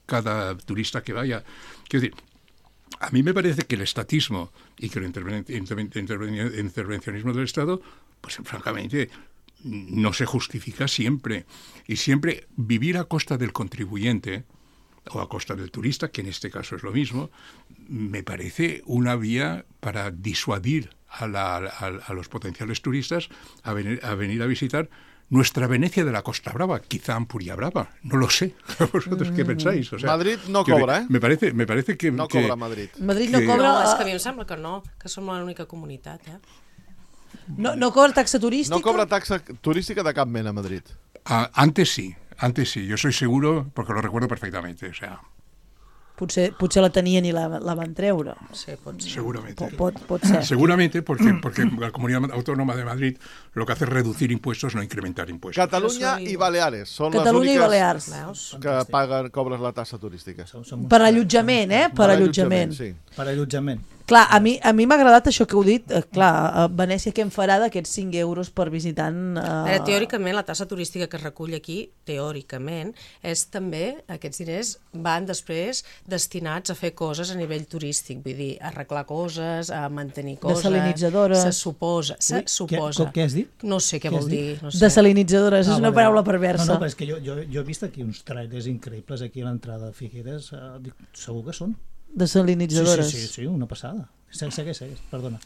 cada turista que vaya? Quiero decir, a mí me parece que el estatismo y que el intervencionismo del Estado, pues francamente, no se justifica siempre. Y siempre vivir a costa del contribuyente o a costa del turista, que en este caso es lo mismo, me parece una vía para disuadir a los potenciales turistas a venir a visitar nuestra Venecia de la Costa Brava, quizá Ampuria Brava, no lo sé. ¿Vosotros qué pensáis? O sea, Madrid no cobra, Me parece que... No cobra Madrid. Madrid no cobra... No, és que a mi em sembla que no, que som l'única comunitat, No cobra taxa turística? No cobra taxa turística de cap mena a Madrid. Antes sí, yo soy seguro, porque lo recuerdo perfectamente, o sea... Potser la tenien i la van treure. Sí, pot ser. Seguramente. Pot ser. Seguramente, porque la Comunidad Autónoma de Madrid lo que hace es reducir impuestos, no incrementar impuestos. Catalunya i Baleares són les úniques que cobren la tassa turística. Per allotjament, Per allotjament. Sí. Per allotjament. Clar, a mi m'ha agradat això que heu dit. Clar, a Venècia què em farà d'aquests 5 euros per visitant? Teòricament, la tassa turística que es recull aquí, teòricament, és també, aquests diners van després destinats a fer coses a nivell turístic, vull dir, a arreglar coses, a mantenir coses... Desalinitzadores. Se suposa. Què has dit? No sé què vol dir. No sé. Desalinitzadores, és una paraula perversa. No, però és que jo he vist aquí uns trailers increïbles aquí a l'entrada de Figueres, segur que són. Desalinitzadores. Sí, una passada. Segueix, perdona.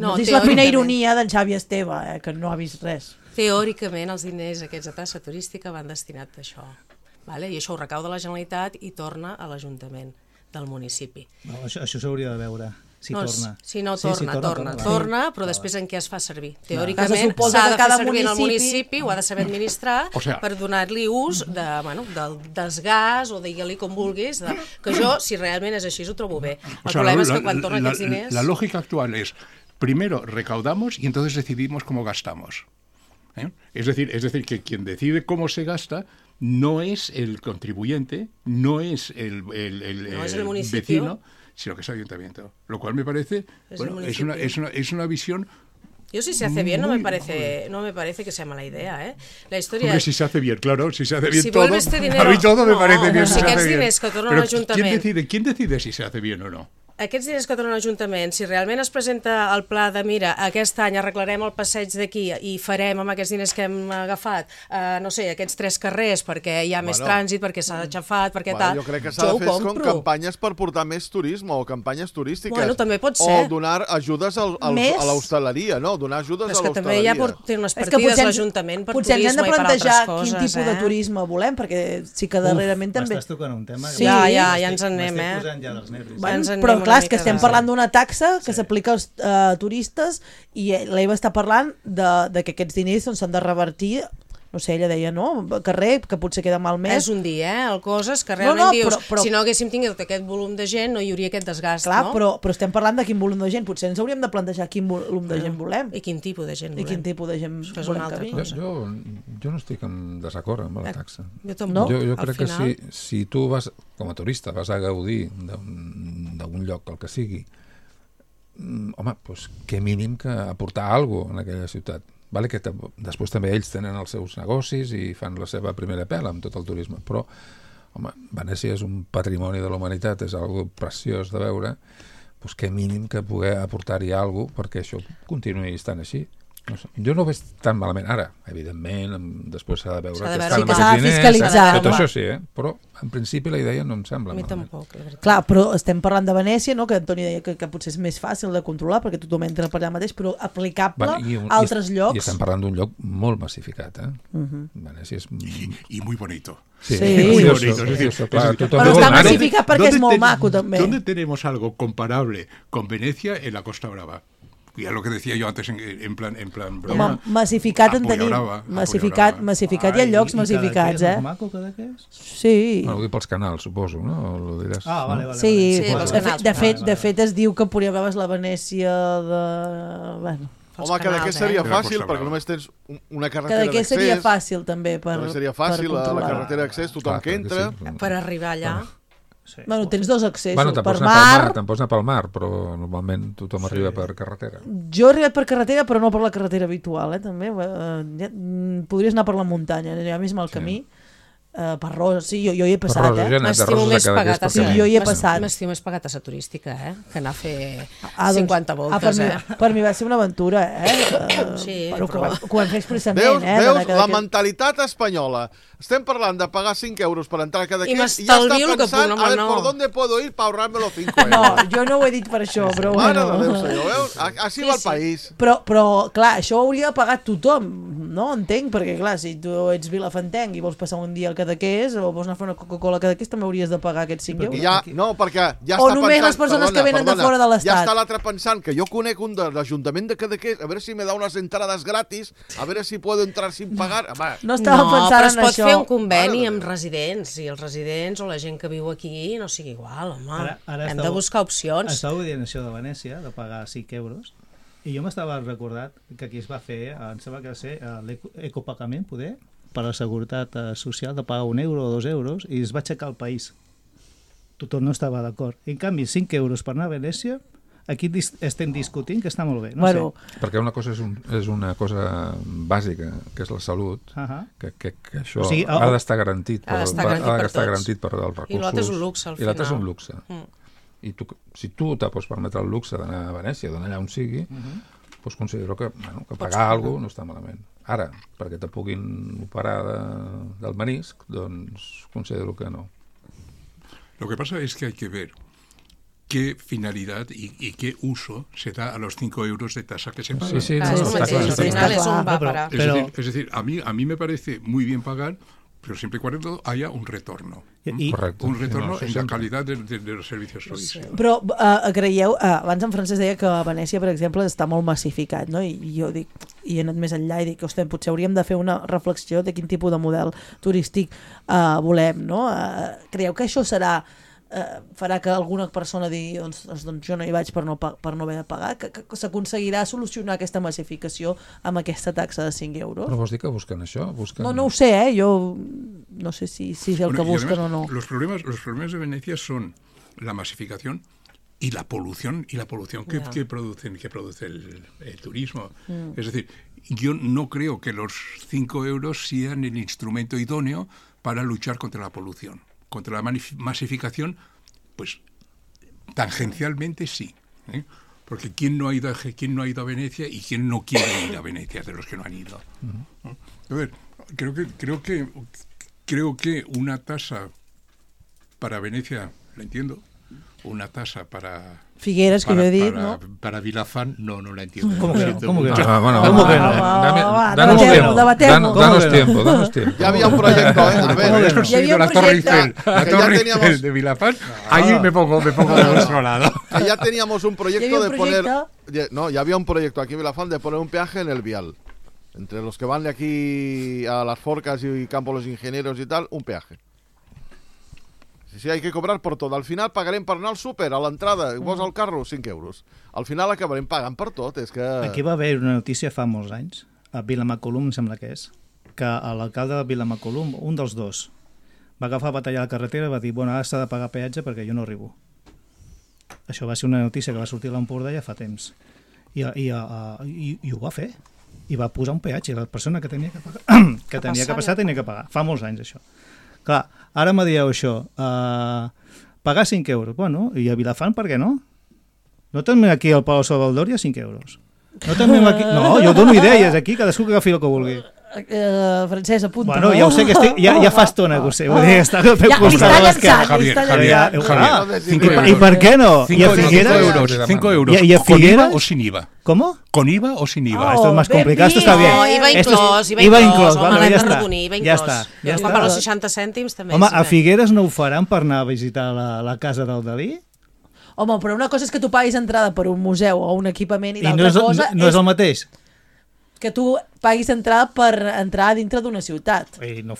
No és la fina ironia d'en Xavi Esteve, que no ha vist res. Teòricament, els diners aquests de tassa turística van destinats a això. Vale? I això ho recau de la Generalitat i torna a l'Ajuntament del municipi. No, això s'hauria de veure, si torna. Si no torna, però després en què es fa servir? Teòricament s'ha de fer servir en el municipi, ho ha de saber administrar per donar-li ús del desgàs o digue-li com vulguis, que jo, si realment és així, ho trobo bé. El problema és que quan tornen aquests diners... La lógica actual es, primero recaudamos y entonces decidimos cómo gastamos. Es decir, que quien decide cómo se gasta no es el contribuyente, no es el vecino, sino que es el ayuntamiento. Lo cual me parece, es una visión... Yo si se hace bien no me parece que sea mala idea, La historia... Hombre, si se hace bien, claro, si se hace bien si todo, este dinero... a mí todo me parece bien si se hace bien. Que tornen a l'Ajuntament... ¿Quién decide si se hace bien o no? Aquests diners que tornen a l'Ajuntament, si realment es presenta el pla de mira, aquest any arreglarem el passeig d'aquí i farem amb aquests diners que hem agafat, no sé, aquests 3 carrers perquè hi ha més trànsit, perquè s'ha aixafat, perquè tal... Jo crec que s'ha de fer com campanyes per portar més turisme o campanyes turístiques. Bueno, també pot ser. O donar ajudes a l'hostaleria, no? Donar ajudes a l'hostaleria. És que també ja té unes partides l'Ajuntament per turisme i per altres coses. Potser hem de plantejar quin tipus de turisme volem, perquè sí que darrerament també... M'estàs tocant un tema... Ja ens en anem, M'estic posant ja dels nervis. Però clar, és que estem parlant d'una taxa que s'aplica als turistes i l'Eva està parlant de que aquests diners s'han de revertir no sé, ella deia, no, carrer, que potser queda malmès. És un dia, el coses que realment dius, si no haguéssim tingut aquest volum de gent no hi hauria aquest desgast, clar, no? Però estem parlant de quin volum de gent, potser ens hauríem de plantejar quin volum de gent volem. I quin tipus de gent volem. I quin tipus de gent volem que vingui. Jo no estic en desacord amb la taxa. Jo tampoc. Jo crec que si tu vas, com a turista, vas a gaudir d'un lloc, el que sigui, home, doncs que mínim que aportar alguna cosa en aquella ciutat. Vale, que després també ells tenen els seus negocis i fan la seva primera pela amb tot el turisme, però home, Venècia és un patrimoni de la humanitat, és algo preciós de veure, doncs que mínim que poder aportar-hi alguna cosa perquè això continuï estant així. No sé. Jo no ho veig tan malament ara, evidentment, després s'ha de veure que estan amb els diners, tot això sí, però en principi la idea no em sembla malament. A mi tampoc, la veritat. Clar, però estem parlant de Venècia, no? Que Antoni deia que potser és més fàcil de controlar perquè tothom entra per allà mateix, però aplicable a altres llocs. I estem parlant d'un lloc molt massificat, Venècia és... I muy bonito. Sí, muy bonito. Però està massificat perquè és molt maco també. ¿Dónde tenemos algo comparable con Venecia en la Costa Brava? Ya lo que decía yo antes en plan broma. Massificat en tenim. Massificat hi ha llocs massificats, És maco, Cadaqués? Sí. Ho dic pels canals, suposo, no? Lo diràs. Vale. Sí, de fet es diu que podria veure's la Venècia de... Bueno, home, Cadaqués seria fàcil, perquè només tens una carretera d'accés. Cadaqués seria fàcil, també, per controlar. Seria fàcil, la carretera d'accés, tothom que entra. Per arribar allà... Bueno, tens dos accessos, per mar... Te'n pots anar pel mar, però normalment tothom arriba per carretera. Jo he arribat per carretera, però no per la carretera habitual, també. Podries anar per la muntanya, ja més mal camí. Per Roses, sí, jo hi he passat, M'estimo més pagat a jo hi he passat. M'estimo més pagat a la turística, que anar a fer 50 voltes, Per mi va ser una aventura, Sí, però que ho hem fet expressament, Veus la mentalitat espanyola. Estem parlant de pagar 5 euros per entrar a Cadaqués i ja està pensant a ver por dónde puedo ir para ahorrarme los 5 euros. No, jo no ho he dit per això, però bueno. Mare de Déu, senyor, veus? Així va el país. Però, clar, això ho hauria de pagar tothom, no? Entenc, perquè, clar, si tu ets vilafantenc i vols passar un dia al Cadaqués o vols anar a fer una Coca-Cola al Cadaqués, també hauries de pagar aquests 5 euros. No, perquè ja està pensant... O només les persones que venen de fora de l'Estat. Ja està l'altre pensant que jo conec un de l'Ajuntament de Cadaqués, a veure si me da unas entradas gratis, a veure si puedo entrar sin pagar. No estava pensant en això. Però es pot fer un conveni amb residents, i els residents o la gent que viu aquí no sigui igual, home. Hem de buscar opcions. Estàveu dient això de Venècia, de pagar 5 euros, i jo m'estava recordat que aquí es va fer, em sembla que va ser l'ecopagament, poder, per a la seguretat social, de pagar 1 euro o 2 euros, i es va aixecar el país. Tothom no estava d'acord. En canvi, 5 euros per anar a Venècia, aquí estem discutint que està molt bé. No sé. Perquè una cosa és una cosa bàsica, que és la salut, que això ha d'estar garantit per els recursos. I l'altre és un luxe, al final. I l'altre és un luxe. I si tu te pots permetre el luxe d'anar a Venècia, d'anar allà on sigui, doncs considero que pagar alguna cosa no està malament. Ara, perquè te puguin operar del menisc, doncs considero que no. Lo que pasa es que hay que ver qué finalidad y qué uso se da a los 5 euros de tasa que se pagan. Sí, está claro. Es decir, a mí me parece muy bien pagar, pero siempre y cuando haya un retorno. Correcte. Un retorno en la calidad de los servicios turísticos. Però creieu, abans en Francesc deia que a Venècia, per exemple, està molt massificat, no? I jo dic, i he anat més enllà i dic, ostres, potser hauríem de fer una reflexió de quin tipus de model turístic volem, no? Creieu que això farà que alguna persona digui doncs jo no hi vaig per no haver de pagar, que s'aconseguirà solucionar aquesta massificació amb aquesta taxa de 5 euros? Però vols dir que busquen això? No ho sé, jo no sé si és el que busquen o no. Los problemas de Venecia son la masificación y la polución que produce el turismo. Es decir, yo no creo que los 5 euros sean el instrumento idóneo para luchar contra la polución. Contra la masificación, pues tangencialmente sí, porque ¿quién no ha ido a Venecia y quién no quiere ir a Venecia de los que no han ido? A ver, creo que una tasa para Venecia, la entiendo, una tasa para Figueres, que yo he dit, ¿no? Para Vilafán, no la entiendo. ¿Cómo que no? Danos tiempo. Ya había un proyecto, A ver, la Torre Eiffel de Vilafán, ahí me pongo de nuestro lado. Que ya teníamos un proyecto de poner... No, ya había un proyecto aquí en Vilafán de poner un peaje en el vial. Entre los que van de aquí a Las Forcas y Campo Los Ingenieros y tal, un peaje. Si hay que cobrar por tot. Al final pagarem per anar al súper, a l'entrada, vos al carro, 5 euros. Al final acabarem pagant per tot, és que... Aquí va haver una notícia fa molts anys, a Vilamacolum, em sembla que és, que l'alcalde de Vilamacolum, un dels dos, va agafar a batallar la carretera i va dir, bueno, ara s'ha de pagar peatge perquè jo no arribo. Això va ser una notícia que va sortir a l'Empordà ja fa temps. I ho va fer. I va posar un peatge. La persona que tenia que pagar, tenia que pagar. Fa molts anys, això. Clar, ara me dieu això, pagar 5 euros. Bueno, i a Vilafant per què no? No tenim aquí al Palau Salvador hi ha 5 euros. No tenim aquí... No, jo dono idees aquí, cadascú que agafi el que vulgui. Francesc, apunta. Bueno, ja ho sé que estic, ja fa estona que ho sé. Vull dir, està al peu costat de l'esquerra. I per què no? 5 euros. ¿Y a ¿Con IVA o sin IVA? ¿Cómo? ¿Con IVA o sin IVA? Esto es más complicado, esto está bien. No, IVA inclòs, vale, ja està. Ja està. Per els 60 cèntims també. Home, a Figueres no ho faran per anar a visitar la casa del Dalí? Home, però una cosa és que tu paguis entrada per un museu o un equipament i l'altra cosa és... no és el mateix? Que tu paguis entrada per entrar dintre d'una ciutat. No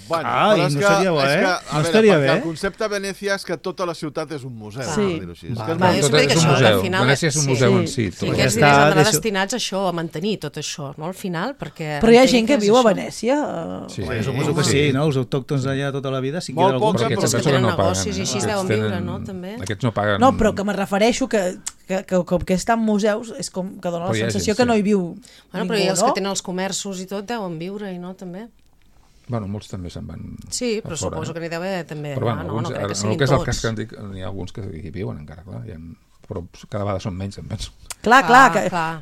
Bueno, no seria bo, no estaria bé. El concepte de Venècia és que tota la ciutat és un museu. Sí. Tot és un museu. Venècia és un museu en si. Sí, aquests diners han d'anar destinats a això, a mantenir tot això, no? Al final, perquè... Però hi ha gent que viu a Venècia. Sí, suposo que sí, no? Els autòctons allà tota la vida, si queda algun... Però aquests que tenen negocis i així deuen viure, no? També. Aquests no paguen... No, però que me refereixo que com que està en museus és com que dona la sensació que no hi viu ningú, no? Però els que tenen els comerços i tot deuen viure i no, també. Bueno, molts també se'n van sí, però suposo que n'hi deu haver també. Però bueno, no crec que siguin tots. El que és el cas que dic, n'hi ha alguns que hi viuen encara, clar, però cada vegada són menys, em penso. Clar,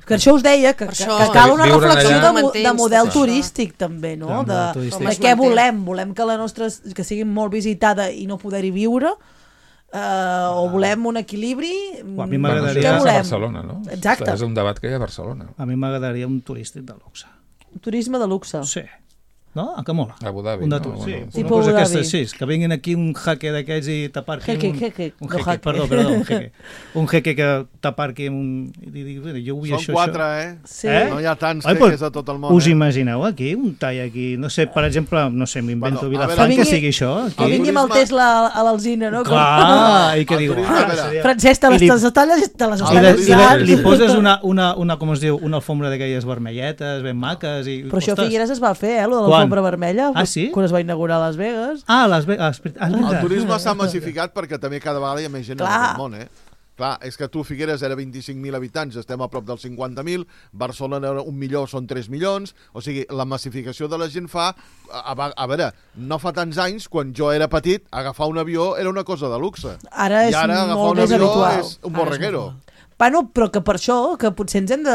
que això us deia, que cal una reflexió de model turístic també, no? De què volem? Volem que sigui molt visitada i no poder-hi viure? O volem un equilibri? A mi m'agradaria... Això és a Barcelona, no? Exacte. És un debat que hi ha a Barcelona. A mi m'agradaria un turístic de luxe. Un turisme de luxe? Sí. No? Que mola. Abu Dhabi, no? Sí, una cosa aquesta així, que vinguin aquí un jeque d'aquests i t'aparqui... Un jeque que t'aparqui amb un... Jo vull això. Són 4, Sí. No hi ha tants jeques a tot el món. Us imagineu aquí, un tall aquí, no sé, per exemple, no sé, m'invento Vilafant, que sigui això. Que vingui amb el Tesla a l'Alzina, no? Clar, i que diu... Francesc, te les talles... Li poses una, com es diu, una alfombra d'aquelles vermelletes, ben maques... Però això a Figueres es va fer, lo de l'alfombra vermella, quan es va inaugurar a Las Vegas. Las Vegas. El turisme s'ha massificat perquè també cada vegada hi ha més gent en el món, Clar, és que tu, Figueres, era 25.000 habitants, estem a prop dels 50.000, Barcelona era 1 milió, són 3 milions, o sigui, la massificació de la gent fa... A veure, no fa tants anys, quan jo era petit, agafar un avió era una cosa de luxe. Ara és molt més habitual. És un borreguero. Bueno, però que per això, que potser ens hem de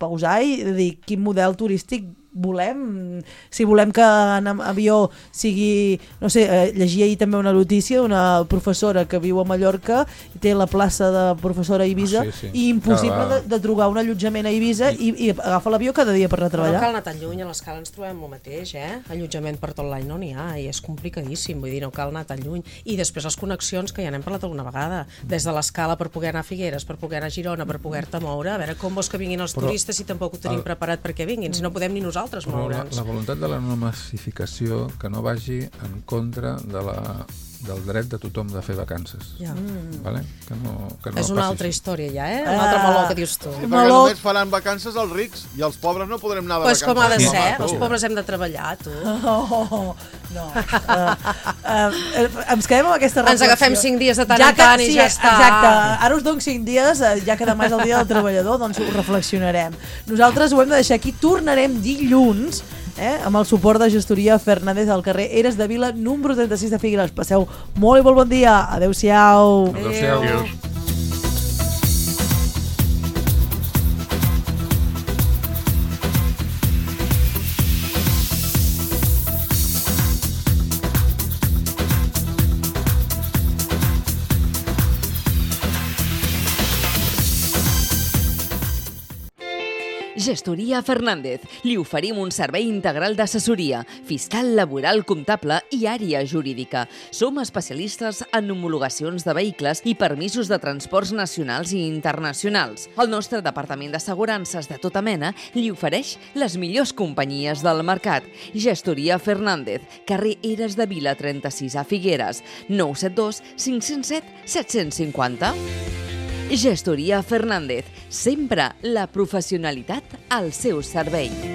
pausar i de dir quin model turístic volem, si volem que en avió sigui, no sé, llegia ahir també una notícia d'una professora que viu a Mallorca i té la plaça de professora a Eivissa i impossible de trobar un allotjament a Eivissa i agafa l'avió cada dia per anar a treballar. No cal anar tan lluny, a l'escala ens trobem el mateix, allotjament per tot l'any no n'hi ha i és complicadíssim, vull dir, no cal anar tan lluny. I després les connexions, que ja n'hem parlat alguna vegada, des de l'escala per poder anar a Figueres, per poder anar a Girona, per poder-te moure, a veure com vols que vinguin els turistes si tampoc ho tenim preparat perquè vinguin, si no podem ni nosaltres moure'ns. La voluntat de la no massificació que no vagi en contra del dret de tothom de fer vacances. Vale? Que no és una altra història ja, un altre meló que dius tu. Sí, perquè només faran vacances els rics i els pobres no podrem anar de vacances. Pues com ha de ser, els pobres hem de treballar, tu. No. Ens quedem amb aquesta reflexió. Ens agafem 5 dies de tant en tant i ja està. Exacte. Ara us dono 5 dies, ja que demà és el dia del treballador, doncs ho reflexionarem. Nosaltres ho hem de deixar aquí, tornarem dilluns amb el suport de gestoria Fernández al carrer Eres de Vila, número 36 de Figueres. Passeu molt i molt bon dia. Adéu-siau. Adéu-siau. Gestoria Fernández. Li oferim un servei integral d'assessoria, fiscal, laboral, comptable i àrea jurídica. Som especialistes en homologacions de vehicles i permisos de transports nacionals i internacionals. El nostre departament d'assegurances de tota mena li ofereix les millors companyies del mercat. Gestoria Fernández, carrer Eres de Vila 36 a Figueres, 972 507 750. Gestoria Fernández, sempre la professionalitat al seu servei.